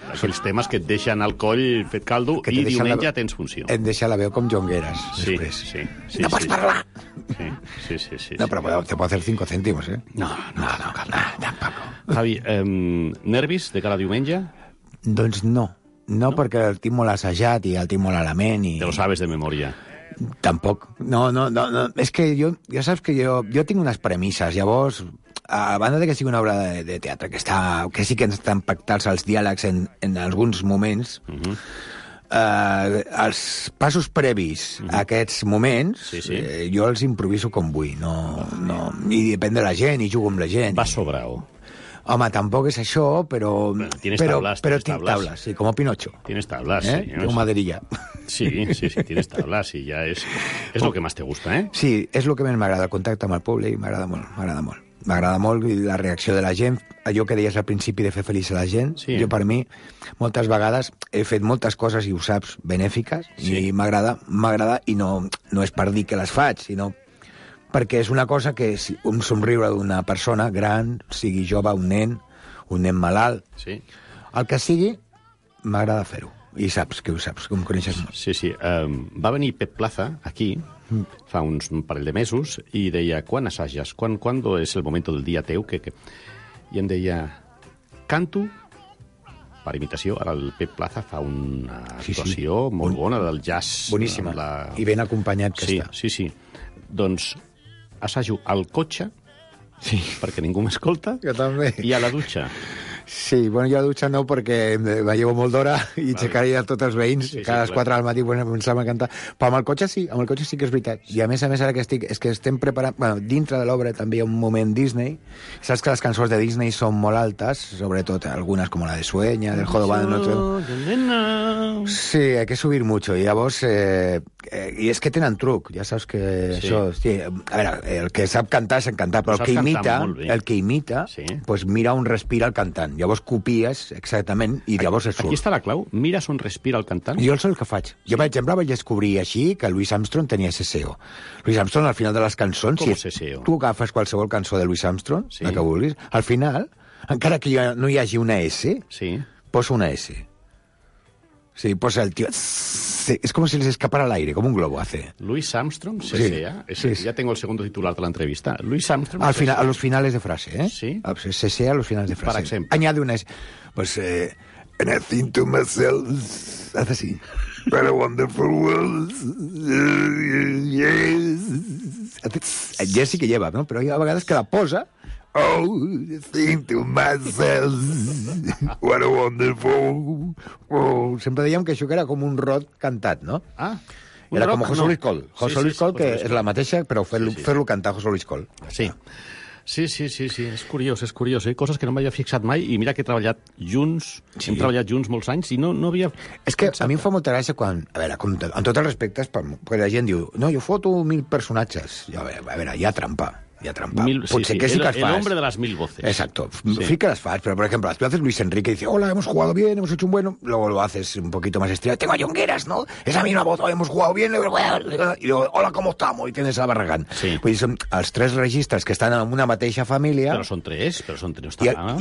temes que et deixen al coll fet caldo i diumenge tens funció. Et deixa la veu com jongueres, després. Sí. No pots parlar! Sí. No, però te puedo hacer 5 céntimos, ¿eh? No, tampoco. Javi, nervis de cara a diumenge? Doncs no, perquè el tinc molt assajat i el tinc molt a la ment i... Te lo sabes de memòria. Tampoc. No. És que ja saps que jo tinc unes premisses. Llavors, a banda de que sigui una obra de teatre que sí que estan pactats els diàlegs en alguns moments, els passos previs a aquests moments, jo els improviso com vull. I depèn de la gent, i jugo amb la gent. Va sobrao. Home, tampoc és això, però... Tienes tinc tablas, sí, como Pinocho. Tienes tablas, sí. Tengo maderilla. Sí, tienes tablas i ja és lo que més te gusta, eh? Sí, és el que més m'agrada, el contacte amb el públic, m'agrada molt. M'agrada molt la reacció de la gent, allò que deies al principi de fer feliç a la gent. Sí. Jo, per mi, moltes vegades he fet moltes coses, i ho saps, benèfiques, i m'agrada, i no és per dir que les faig, sinó perquè és una cosa que un somriure d'una persona gran, sigui jove, un nen malalt, el que sigui, m'agrada fer-ho. I saps que em coneixes molt. Sí. Va venir Pep Plaza aquí fa un parell de mesos i deia, quan assages? ¿Cuándo es el momento del dia teu? I em deia, canto per imitació. Ara el Pep Plaza fa una actuació molt bona del jazz. Boníssima. I ben acompanyat que està. Sí. Doncs assajo al cotxe, perquè ningú m'escolta, jo també. I a la dutxa. Sí, bueno, jo a la dutxa no, perquè me llevo molt d'hora i aixecaria tots els veïns, cada 4 del matí començàvem a cantar. Però amb el cotxe sí que és veritat. I a més, ara que estem preparant... Bueno, dintre de l'obra també hi ha un moment Disney. Saps que les cançons de Disney són molt altes, sobretot algunes com la de Sueña, del Jodobado de Notre. Sí, hay que subir mucho. I llavors... I és que tenen truc, ja saps que això... Sí, a veure, el que sap cantar és cantar, però el que imita, doncs mira on respira el cantant. Llavors copies exactament i llavors es surt. Aquí està la clau. Mires on respira el cantant? Jo és el que faig. Jo, per exemple, vaig descobrir així que Louis Armstrong tenia SSO. Louis Armstrong, al final de les cançons... Com SSO? Tu agafes qualsevol cançó de Louis Armstrong, la que vulguis, al final, encara que no hi hagi una S, posa una S. Sí, posa el tío... Es como si les escapara al aire, como un globo hace. Louis Armstrong, CSA. Ya tengo el segundo titular de la entrevista. Louis Armstrong... Al final, a los finales de frase, ¿eh? Sí. CSA a los finales de frase. Por ejemplo. Añade una... Pues... And I think to myself... Hace así. What a wonderful world. Yes. Ja sí que lleva, ¿no? Però hi ha vegades que la posa... Oh, think to myself, what a wonderful... Oh, sempre dèiem que això era com un rot cantat, no? Era com José Luis Col. José Luis Col, que és la mateixa, però fer-lo cantar José Luis Col. Sí. Sí, és curiós, coses que no m'havia fixat mai, i mira que he treballat junts, hem treballat junts molts anys, i no havia... És que a mi em fa molta gràcia quan, a veure, amb tots els respectes, perquè la gent diu, no, jo foto 1000 personatges. A veure, hi ha trampa. Potser que sí que las fas. El hombre de las 1000 voces. Exacto. Sí que las fas, pero por ejemplo, tú haces Luis Enrique y dice, hola, hemos jugado bien, hemos hecho un bueno. Luego lo haces un poquito más estirado. Tengo a Jongueras, ¿no? Es la misma voz, hemos jugado bien. Y luego, hola, ¿cómo estamos? Y tienes a Barragán. Sí. Pues són els 3 registres que estan en una mateixa família. Però són 3.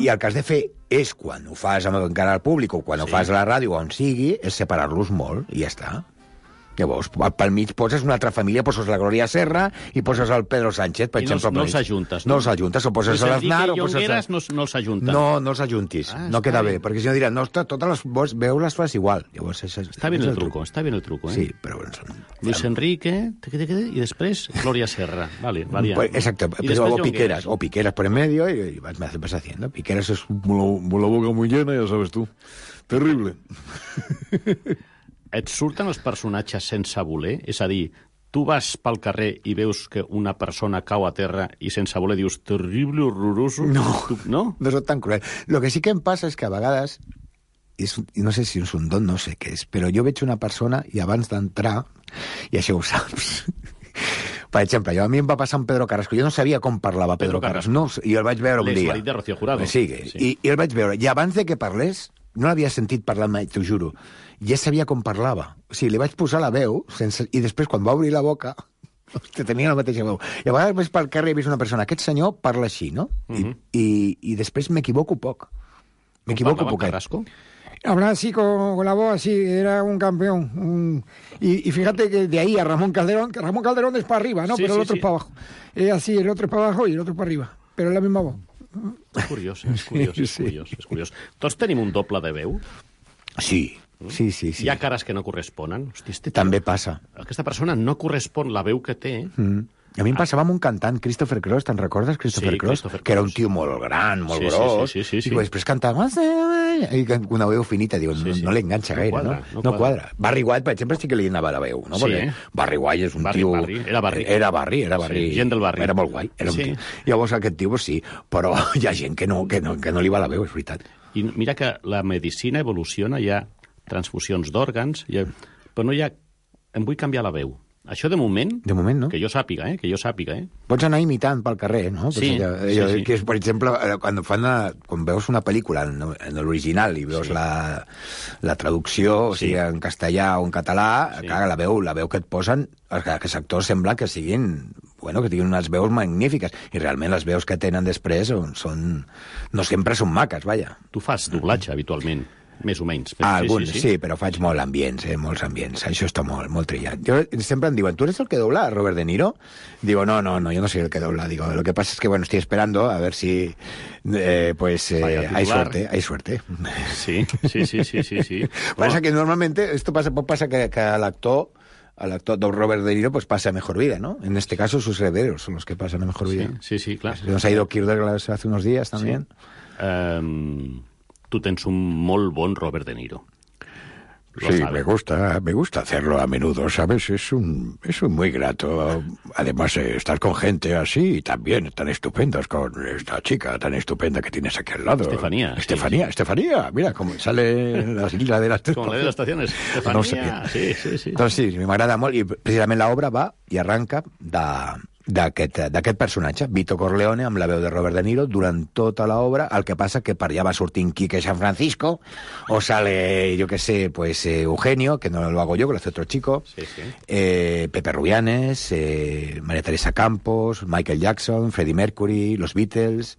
I el que has de fer és, quan ho fas encara al públic o quan ho fas a la ràdio o on sigui, és separar-los molt i ja està. Llavors, pel mig poses una altra família, poses la Gloria Serra i poses el Pedro Sánchez, per exemple. No els ajuntes, no? No els ajuntes, o poses l'Aznar... I Jongueras no els ajunten. No els ajuntis, no queda bé, perquè si no diran, no, totes les veus les fas igual. Llavors, està bien el truco, eh? Sí, però... Luis Enrique, i després Gloria Serra. Vale, variant. Exacto, o Piqueras por en medio y vas haciendo. Piqueras es la boca muy llena, ya sabes tú. Terrible. Et surten els personatges sense voler? És a dir, tu vas pel carrer i veus que una persona cau a terra i sense voler dius terrible, horroroso? No soc tan cruel. Lo que sí que em passa és que a vegades, no sé si és un don, no sé què és, però jo veig una persona i abans d'entrar, i això ho saps... Per exemple, a mi em va passar amb Pedro Carrasco. Jo no sabia com parlava Pedro Carrasco. No, i el vaig veure un dia. L'exmarit de Rocío Jurado. Sí. I el vaig veure. I abans de que parlés, no l'havia sentit parlar mai, t'ho juro. Ja sabia com parlava. O sigui, li vaig posar la veu, i després, quan va obrir la boca, tenia la mateixa veu. I a vegades ves pel carrer i ves una persona, aquest senyor parla així, no? I després m'equivoco poc. M'equivoco poc. Carrasco? Hablaba así con la voz, así, era un campeón. Y fíjate que de ahí a Ramón Calderón, que Ramón Calderón es para arriba, ¿no? Pero el otro es para abajo. Es así, el otro es para abajo y el otro es para arriba. Pero es la misma voz. És curiós. Tots tenim un doble de veu? Sí. Hi ha cares que no corresponen? Hosti, també passa. Aquesta persona no correspon la veu que té. A mi em passava amb un cantant, Christopher Cross, te'n recordes, Christopher Cross? Que era un tio molt gran, molt gros, i després cantava i una veu finita, diu, no li enganxa gaire, no? No quadra. Barry White, per exemple, sí que li anava la veu, no? Barry White és un tio... Era Barry. Gent del barri. Era molt guai. Llavors aquest tio, sí, però hi ha gent que no li va la veu, és veritat. I mira que la medicina evoluciona, hi ha transfusions d'òrgans, però no hi ha... Em vull canviar la veu. Això de moment, no? Que jo sàpiga, eh? Pots anar imitant pel carrer, no? Sí. Que és, per exemple, quan veus una pel·lícula en l'original i veus la traducció, o sigui, en castellà o en català, clar, la veu que et posen, aquests actors sembla que siguin... Bueno, que tinguin unes veus magnífiques. I realment les veus que tenen després no sempre són maques, vaja. Tu fas doblatge, habitualment. més o menys. Alguns, sí, però faig molts ambients. Això està molt trillat. Sempre em diuen, ¿tú eres el que dobla a Robert De Niro? Digo, no, yo no soy el que dobla. Digo, lo que pasa es que, bueno, estoy esperando a ver si, hay suerte. Sí. Pasa que normalmente, esto pasa que al actor Robert De Niro pues pasa mejor vida, ¿no? En este caso sus herederos son los que pasan a mejor vida. Sí, clar. Nos ha ido Kirchner hace unos días también. Sí. Tu tens un molt bon Robert De Niro. Sí, me gusta hacerlo a menudo, ¿sabes? Es muy grato. Además, estar con gente así y también tan estupendos, con esta chica tan estupenda que tienes aquí al lado. Estefanía. Mira cómo sale la isla de las tres. Com la de les estacions. Estefanía, sí. Doncs sí, m'agrada molt, i precisament l'obra va i arranca d'aquest personatge, Vito Corleone, amb la veu de Robert De Niro, durant tota l'obra. El que passa que per allà va sortint Quique San Francisco, o sale, yo que sé, pues Eugenio, que no lo hago yo, que lo hace otro chico, Pepe Rubianes, María Teresa Campos, Michael Jackson, Freddie Mercury, los Beatles...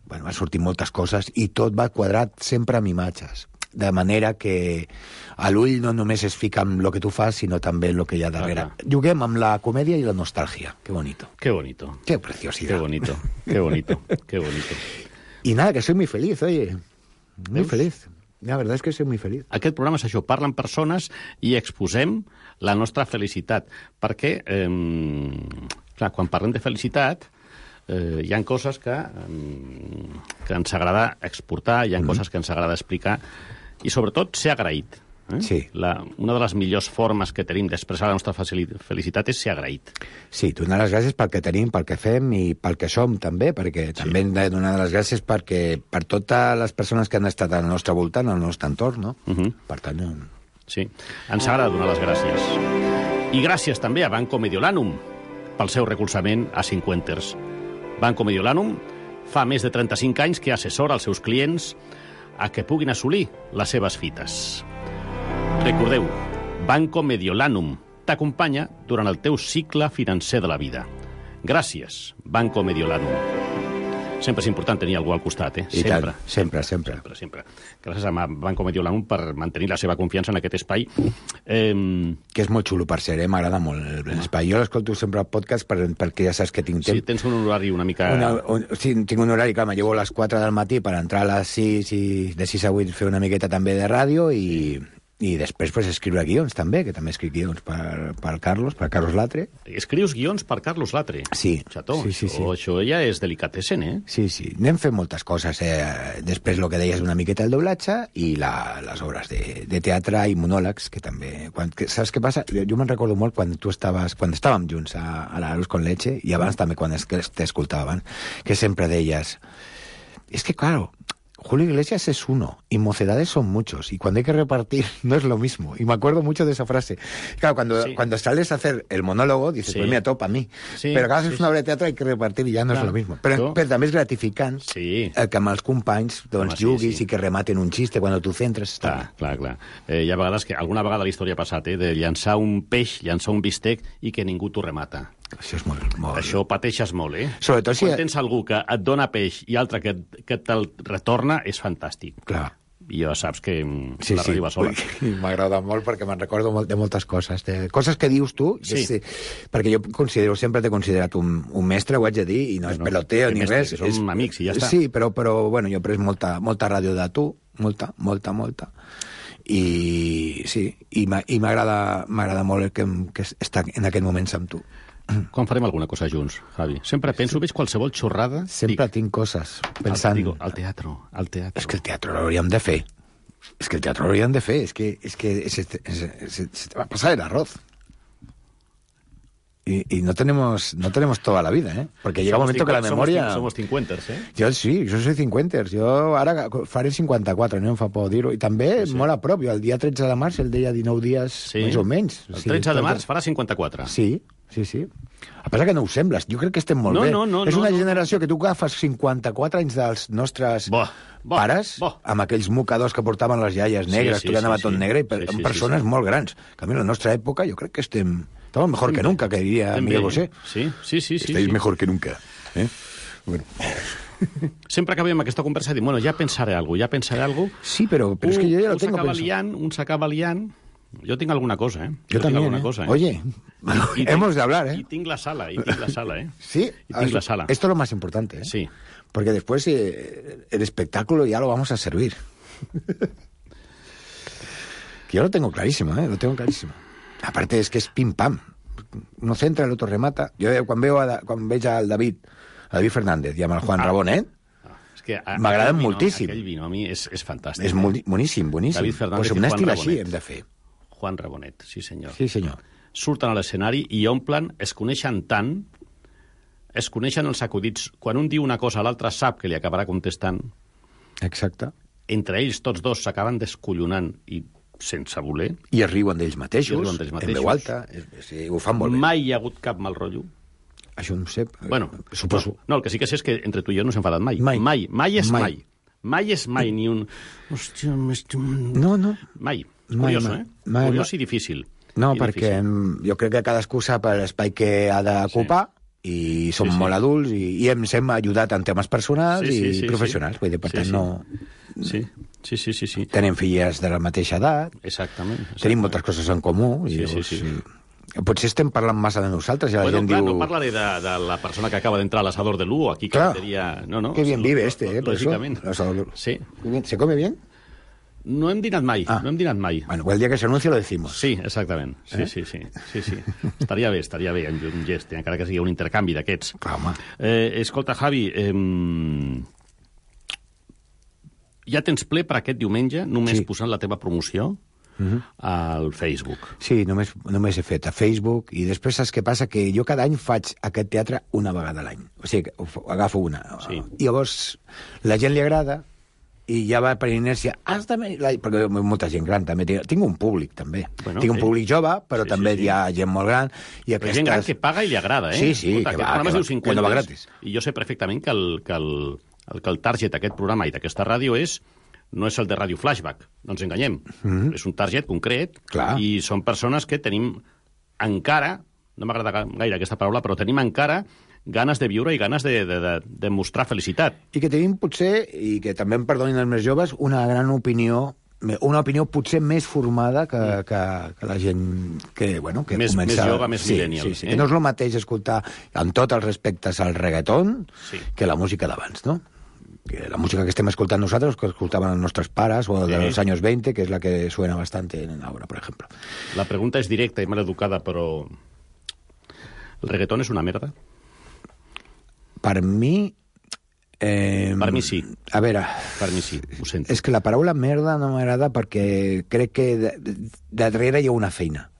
Bueno, va sortir moltes coses i tot va quadrat sempre amb imatges. De manera que a l'ull no només es fica amb el que tu fas, sinó també en el que hi ha darrere. Juguem amb la comèdia i la nostàlgia. Qué bonito. Qué bonito. Qué preciosidad. Qué bonito. Y nada, que soy muy feliz, oye. Muy feliz. La verdad es que soy muy feliz. Aquest programa és això, parlen persones i exposem la nostra felicitat. Perquè, clar, quan parlem de felicitat, hi ha coses que ens agrada exportar, hi ha coses que ens agrada explicar, i sobretot ser agraït. Sí. Una de les millors formes que tenim d'expressar la nostra felicitat és ser agraït. Sí, donar les gràcies pel que tenim, pel que fem i pel que som, també, perquè també hem de donar les gràcies per totes les persones que han estat al nostre voltant, al nostre entorn, no? Per tant... Sí, ens agrada donar les gràcies. I gràcies també a Banco Mediolanum pel seu recolzament a Cinquanters. Banco Mediolanum fa més de 35 anys que assessora els seus clients a que puguin assolir les seves fites. Recordeu, Banco Mediolanum t'acompanya durant el teu cicle financer de la vida. Gràcies, Banco Mediolanum. Sempre és important tenir algú al costat, Sempre. Gràcies a Banco Mediolanum per mantenir la seva confiança en aquest espai. Que és molt xulo, per ser, m'agrada molt l'espai. Jo l'escolto sempre al podcast perquè ja saps que tinc temps. Sí, tens un horari una mica... Sí, tinc un horari, clar, me llevo a les 4 del matí per entrar a les 6 i de 6 a 8 fer una miqueta també de ràdio i després pues, escriure guions també, que també escric guions per Carlos Latre. Escrius guions per Carlos Latre? Sí. Xató, sí. Això ja és delicatessen, Sí. Anem fent moltes coses. Després el que deies una miqueta el doblatge i les obres de teatre i monòlegs, que també... Saps què passa? Jo me'n recordo molt quan estàvem junts a l'Arús con Leche, i abans també quan t'escoltava abans, que sempre deies... Es que, claro... Julio Iglesias es uno, y Mocedades son muchos, y cuando hay que repartir no es lo mismo. Y me acuerdo mucho de esa frase. Claro, cuando sales a hacer el monólogo, dices, pues mira, todo para mí. Sí, pero cada vez es una obra de teatre hay que repartir y ya no es lo mismo. Pero també és gratificant que amb els companys juguis i que rematen un xiste quan tu centres. Clar. Hi ha vegades que, alguna vegada a la història ha passat, de llançar un peix, llançar un bistec i que ningú t'ho remata. Això és molt... Això pateixes molt, Sobretot si... Quan tens algú que et dona peix i altre que te'l retorna, és fantàstic. Clar. I ja saps que la ràdio va sola. M'agrada molt perquè me'n recordo de moltes coses. Coses que dius tu, perquè jo sempre t'he considerat un mestre, ho haig de dir, i no és peloteo ni res. Som amics i ja està. Sí, però bueno, jo he pres molta ràdio de tu, molta. I m'agrada molt que estar en aquest moment amb tu. Quan farem alguna cosa junts, Javi? Sempre penso, veig qualsevol xorrada... Sempre tinc coses pensant... Al teatre. És que el teatre l'hauríem de fer. És que se te va a pasar el arroz. Y no tenemos toda la vida, Porque llega un momento que la memoria... Somos cinquenters, Jo soy cinquenters. Jo ara faré 54, no em fa por dir-ho. I també molt a prop. Jo el dia 13 de març, el deia 19 dies, més o menys. El 13 de març farà 54. Sí. A pesar que no ho sembles, jo crec que estem molt bé. És una generació que tu agafes 54 anys dels nostres pares, amb aquells mocadors que portaven les iaies negres, tu anava tot negre, i amb persones molt grans. Que a mi, en la nostra època, jo crec que estamos mejor que nunca, que diría Miguel Bosé. Sí. Estáis mejor que nunca. Bueno. Sempre acabem aquesta conversa i dic, bueno, ja pensaré alguna cosa. Sí, però és que jo ja lo tengo pensado. Un s'acaba liant. Jo tinc alguna cosa, Yo también, cosa, Oye, hemos de hablar, Y tengo la sala, Sí, la sala. Esto es lo más importante, Sí. Porque después el espectáculo ya lo vamos a servir. Que yo lo tengo clarísimo, lo tengo clarísimo. Aparte es que es pim pam. Uno centra, el otro remata. Jo quan veig al David Fernández i amb el Juan Rabonet, m'agraden moltíssim. Aquell vino a mi és fantàstic. És boníssim. David Fernández pues i un Juan estil Rabonet. així hem de fer. Juan Rabonet, sí senyor. Sí, senyor. Surten a l'escenari i omplen, es coneixen tant, es coneixen els acudits. Quan un diu una cosa, l'altre sap que li acabarà contestant. Exacte. Entre ells, tots dos s'acaben descollonant i sense voler. I es riuen d'ells mateixos, en veu alta, ho fan molt bé. Mai hi ha hagut cap mal rotllo. Això no ho sé, bueno, suposo. No, el que sí que sé és que entre tu i jo no s'ha enfadat mai. Mai és mai. Mai és mai ni un... Hòstia, no. Mai. Curiós, Curiós i difícil. No, perquè jo crec que cadascú sap l'espai que ha d'ocupar i som molt adults i ens hem ajudat en temes personals i professionals. Vull dir, per tant, no... Sí. Tenim filles de la mateixa edat. Exactament. Tenim moltes coses en comú. Sí. Potser estem parlant massa de nosaltres. I la gent diu... no parlaré de la persona que acaba d'entrar a l'Asador de Lugo, aquí que seria... No, que bien vive lògicament. Sí. ¿Se come bien? No hem dinat mai, Bueno, el dia que s'anuncia lo decimos. Sí, exactament. Sí. Estaria bé, un gest, encara que sigui un intercanvi d'aquests. Home. Escolta, Javi, ja tens ple per aquest diumenge, només posant la teva promoció al Facebook. Sí, només he fet a Facebook i després saps què passa? Que jo cada any faig aquest teatre una vegada a l'any. O sigui, agafo una. Sí. I llavors la gent li agrada i ja va per inèrcia. Perquè molta gent gran també. Tinc un públic, també. Tinc un públic jove, però també hi ha gent molt gran. Però gent gran que paga i li agrada, Sí, que va gratis. I jo sé perfectament que el target d'aquest programa i d'aquesta ràdio no és el de Ràdio Flashback, no ens enganyem. És un target concret i són persones que tenim encara, no m'agrada gaire aquesta paraula, però tenim encara ganes de viure i ganes de mostrar felicitat. I que tenim potser, i que també em perdonin els més joves, una gran opinió, potser més formada que la gent que comença... Més jove, més millennial. Sí. Que no és el mateix escoltar, amb tots els respectes, al reggaeton que la música d'abans, no? Que la música que estem escoltant nosaltres, que escoltaven els nostres pares, o de los años 20, que es la que suena bastante ahora, por ejemplo. La pregunta és directa i mal educada, però... ¿El reggaetón és una merda? Per mi... per mi sí. A veure... Per mi sí, ho sento. És que la paraula merda no m'agrada perquè crec que darrere hi ha una feina.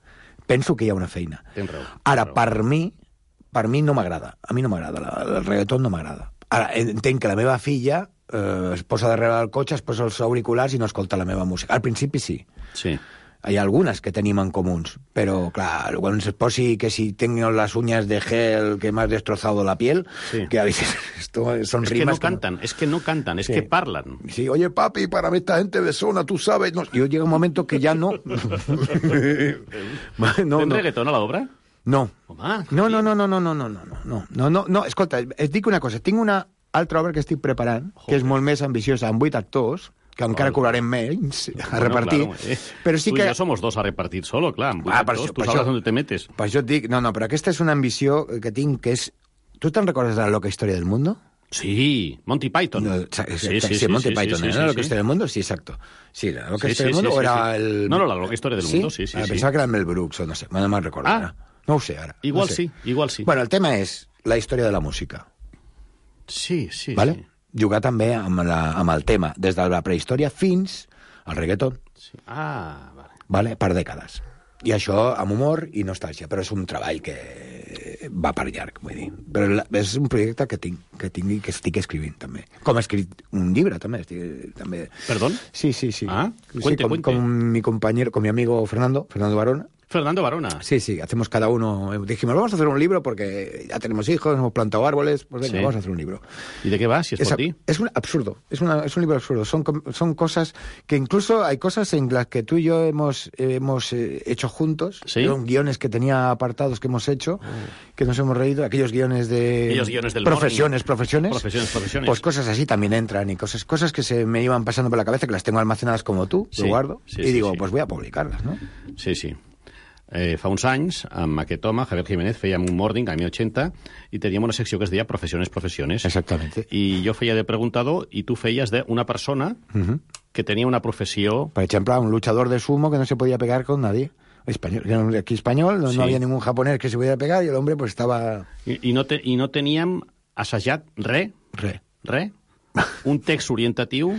Penso que hi ha una feina. Tens raó. Ara, per mi no m'agrada. A mi no m'agrada. El reggaeton no m'agrada. Ara, entenc que la meva filla es posa darrere del cotxe, es posa els auriculars i no escolta la meva música. Al principi sí. Sí. Hi ha algunes que tenim en comuns, però, clar, quan es posi que si tengo las uñas de gel que m'has destrozado la piel, que a veces son rimas... Es que no cantan, es que parlan. Sí, oye, papi, para mí esta gente besona, tú sabes... No. Yo llega un momento que ya no... ¿Tens reggaeton a l'obra? No. Home, no, escolta, et dic una cosa, tinc una altra obra que estic preparant, que és molt més ambiciosa, amb 8 actors, que encara cobrarem menys a repartir. Claro, però sí tu que... i jo somos dos a repartir solo, clar, amb 8 actors, tu sabes on te metes. Per això et dic, no, però aquesta és una ambició que tinc, que és... Tu te'n recordes de La loca historia del mundo? Sí, Monty Python. No, sí, Monty Python, ¿no? La loca historia del mundo, sí, exacto. Sí, La loca historia del mundo o era el... No, La loca historia del mundo, sí. Pensava que era Mel Brooks, o no sé, no me'n recordo ara. No ho sé, ara. Igual sí. Bueno, el tema és la història de la música. Sí. Vale? Jugar també amb el tema, des de la prehistòria fins al reggaeton. Sí. Vale? Per dècades. I això amb humor i nostàlgia, però és un treball que va per llarg, vull dir. Però és un projecte que tinc i que estic escrivint, també. Com he escrit un llibre, també. ¿Perdón? Sí. Cuente. Con mi compañero, con mi amigo Fernando Barona. Fernando Barona. Sí, hacemos cada uno... Dijimos, vamos a hacer un libro porque ya tenemos hijos, hemos plantado árboles, pues venga, vamos a hacer un libro. ¿Y de qué va, si es por ti? Es un absurdo, es un libro absurdo. Son cosas que incluso hay cosas en las que tú y yo hemos hecho juntos. ¿Sí? Son guiones que tenía apartados que hemos hecho, que nos hemos reído, aquellos guiones de... Aquellos guiones del profesiones. Profesiones. Pues cosas así también entran y cosas que se me iban pasando por la cabeza, que las tengo almacenadas como tú, lo guardo, y digo, pues voy a publicarlas, ¿no? Sí. Fa uns anys, amb aquest home, Javier Jiménez, fèiem un morning, a 80, i teníem una secció que es deia Professiones. Exactamente. I jo feia de preguntador i tu feies d'una persona que tenia una professió... Por ejemplo, un luchador de sumo que no se podía pegar con nadie. Español, aquí español, no había ningún japonés que se pudiera pegar y el hombre pues estaba... I no teníem assajat res? Res? Un text orientatiu...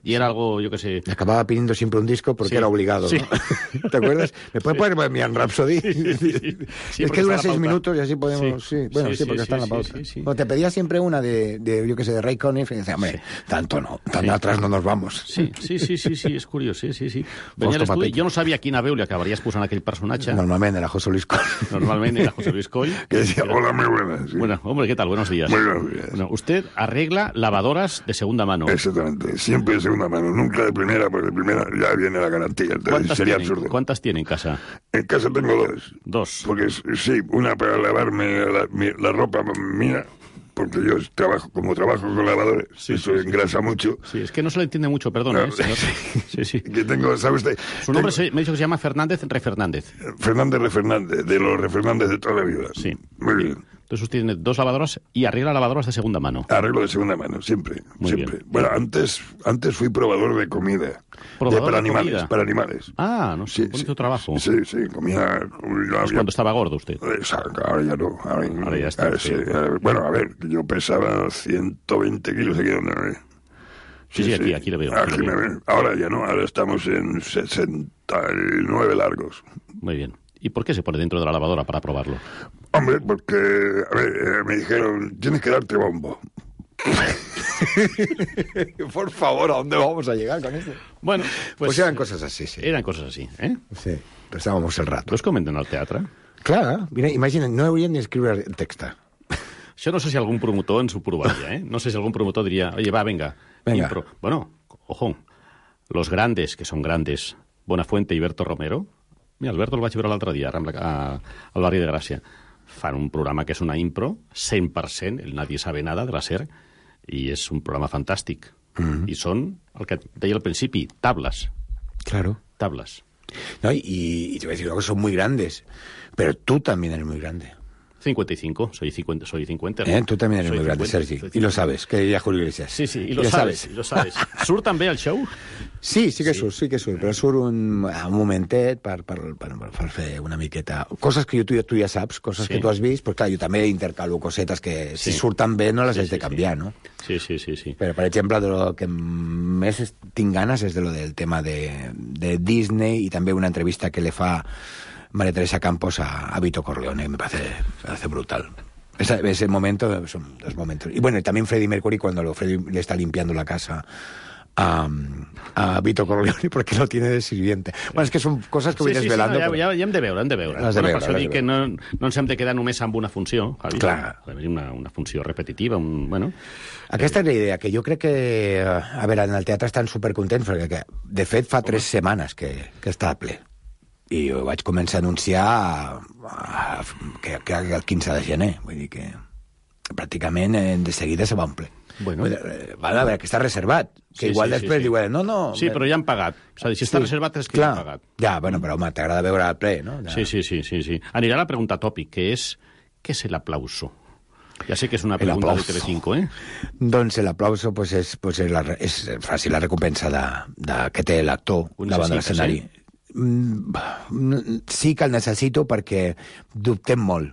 Y era algo, yo qué sé... Acababa pidiendo siempre un disco porque era obligado, sí. ¿no? ¿Te acuerdas? ¿Me puedes poner Bohemian Rhapsody? Sí, es que dura 6 minutos y así podemos... Sí, porque está en la pausa. Bueno, te pedía siempre una de yo qué sé, de Ray Conniff y decía, hombre, tanto no, tan atrás no nos vamos. Sí, és curiós, sí. Venia l'estudi, jo no sabia quina veu li acabaries posant a aquell personatge. Normalment era José Luis Coll. Que decía, hola, muy buenas. Sí. Bueno, hombre, ¿qué tal? Buenos días. Muy buenos días. Bueno, usted arregla lavadoras de segunda mano. Exactamente, siempre de segunda mano, nunca de primera, porque de primera ya viene la garantía, entonces sería absurdo. ¿Cuántas tiene en casa? En casa tengo 2. 2. Porque sí, una para lavarme la ropa mía, porque yo trabajo con lavadores, eso engrasa mucho. Sí, es que no se le entiende mucho, perdón. Sí. Que tengo, ¿sabe usted? Su nombre me ha dicho que se llama Fernández Refernández. Fernández Refernández, de los Refernández de toda la vida. Sí. Muy bien. Entonces usted tiene 2 lavadoras y arregla lavadoras de segunda mano. Arreglo de segunda mano, siempre. Bien. Bueno, antes fui probador de comida. Para animales. Ah, no sé, bonito trabajo. Sí, comía... Es cuando estaba gordo usted. Exacto, ahora ya no. Ahora ya está. Bueno, a ver, yo pesaba 120 kilos aquí donde me ve. Sí, aquí le veo. Aquí me ven. Ahora ya no, ahora estamos en 69 largos. Muy bien. ¿Y por qué se pone dentro de la lavadora para probarlo? Hombre, porque me dijeron, tienes que darte bombo. Por favor, ¿a dónde vamos a llegar con esto? Bueno, pues eran cosas así, sí. Eren coses així, eh? Sí, passábamos el rato. Pues comenten al teatre. Clar, mira, imagina't, no hauríem ni escriure el text. Això no sé si algun promotor ens ho provaria, eh? No sé si algun promotor diria, oye, va, venga. Impro. Bueno, ojo, los grandes, que son grandes, Bonafuente i Berto Romero, mira, Alberto el vaig veure l'altre dia al barri de Gràcia. Fan un programa que és una impro, 100%, el Nadie sabe nada de la SER, i és un programa fantàstic. I són, el que deia al principi, tablas. Claro. Tablas. No, y te voy a decir algo, son muy grandes, pero tú también eres muy grande. 55, soy 50. ¿No? Tú también eres muy grande, Sergi, y lo sabes, que diría Julio Iglesias. Sí, i lo sabes. Surt també al show? Sí que surt, però surt un momentet per fer una miqueta... Coses que tu ja saps, coses que tu has vist, però clar, jo també intercalo cosetes que si surten bé no les has de canviar, no? Sí. Però, per exemple, de lo que més tinc ganes és de lo del tema de Disney i també una entrevista que le fa María Teresa Campos a Vito Corleone, me parece brutal. Ese momento, son 2 momentos. Y bueno, y también Freddie Mercury cuando Freddie le está limpiando la casa a Vito Corleone porque lo tiene de sirviente. Bueno, és que són coses que vull desvelando. No, ja hem de veure. Per això dic que no ens hem de quedar només amb una funció, Javi. Clar. Una funció repetitiva, bueno... Aquesta és la idea, que jo crec que... A veure, en el teatre estan supercontents perquè, de fet, fa 3 setmanes que està ple. I ho vaig començar a anunciar que el 15 de gener. Vull dir que pràcticament de seguida se va omplir. Bueno. A veure, que està reservat. Que igual després diuen, no... Sí, però ja han pagat. És a dir, si està reservat és que ja han pagat. Ja, bueno, però home, t'agrada veure el ple, no? Sí. Anirà la pregunta tòpic, que és què és l'aplauso? Ja sé que és una pregunta de Telecinco, ¿eh? Doncs l'aplauso és fàcil, la recompensa que té l'actor davant de l'escenari. Sí que el necessito perquè dubtem molt.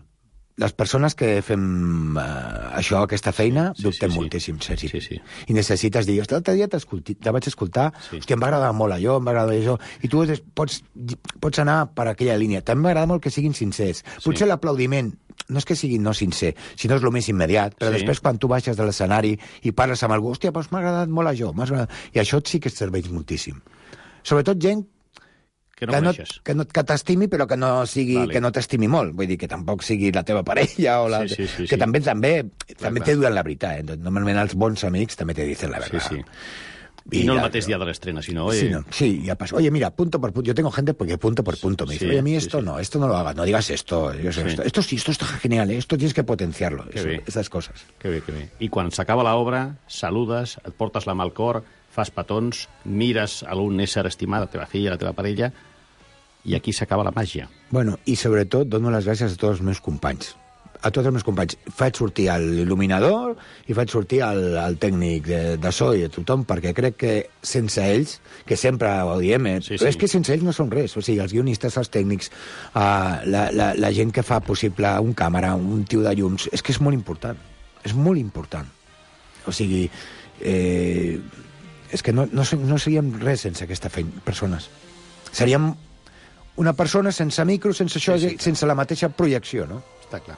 Les persones que fem aquesta feina dubtem moltíssim, Sergi. I necessites dir, l'altre dia te vaig escoltar, hòstia, em va agradar molt allò, em va agradar això, i tu pots anar per aquella línia. També m'agrada molt que siguin sincers. Potser l'aplaudiment no és que sigui no sincer, sinó és el més immediat, però després quan tu baixes de l'escenari i parles amb algú, hòstia, doncs m'ha agradat molt això, i això sí que et serveix moltíssim. Sobretot gent Que no coneixes. Que t'estimi, però que no t'estimi molt. Vull dir, que tampoc sigui la teva parella o la... Sí. Que també te diuen la veritat. Normalment els bons amics també te dicen la veritat. Sí. Y no el mateix día de la estrena, sino... Sí, ya pasó. Oye, mira, punto por punto. Yo tengo gente porque punto por punto me dice, oye, a mí esto no lo hagas, no digas esto. Esto está genial, esto tienes que potenciarlo. Esas cosas. Que bé. I quan s'acaba l'obra, saludes, et portes la mà al cor, fas petons, mires a un ésser estimat, la teva filla, la teva parella, i aquí s'acaba la màgia. Bueno, i sobretot dono les gràcies a tots els meus companys. A tots els meus companys. Faig sortir l'il·luminador i faig sortir el tècnic de so i de tothom, perquè crec que sense ells, que sempre ho diem, però és que sense ells no són res. O sigui, els guionistes, els tècnics, la gent que fa possible un càmera, un tio de llums, és que és molt important. És molt important. O sigui, és que no seríem res sense aquesta persones. Seríem una persona sense micro, sense això, sense la mateixa projecció, no? Està clar.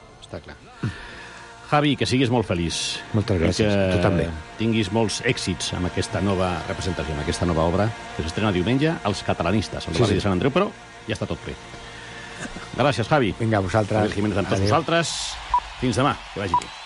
Javi, que siguis molt feliç. Moltes gràcies, tu també. Tinguis molts èxits amb aquesta nova representació, amb aquesta nova obra que s'estrena diumenge als Catalanistes, al barri de Sant Andreu, però ja està tot bé. Gràcies, Javi. Vinga, vosaltres. Javi Jiménez amb tots vosaltres. Fins demà, que vagi bé.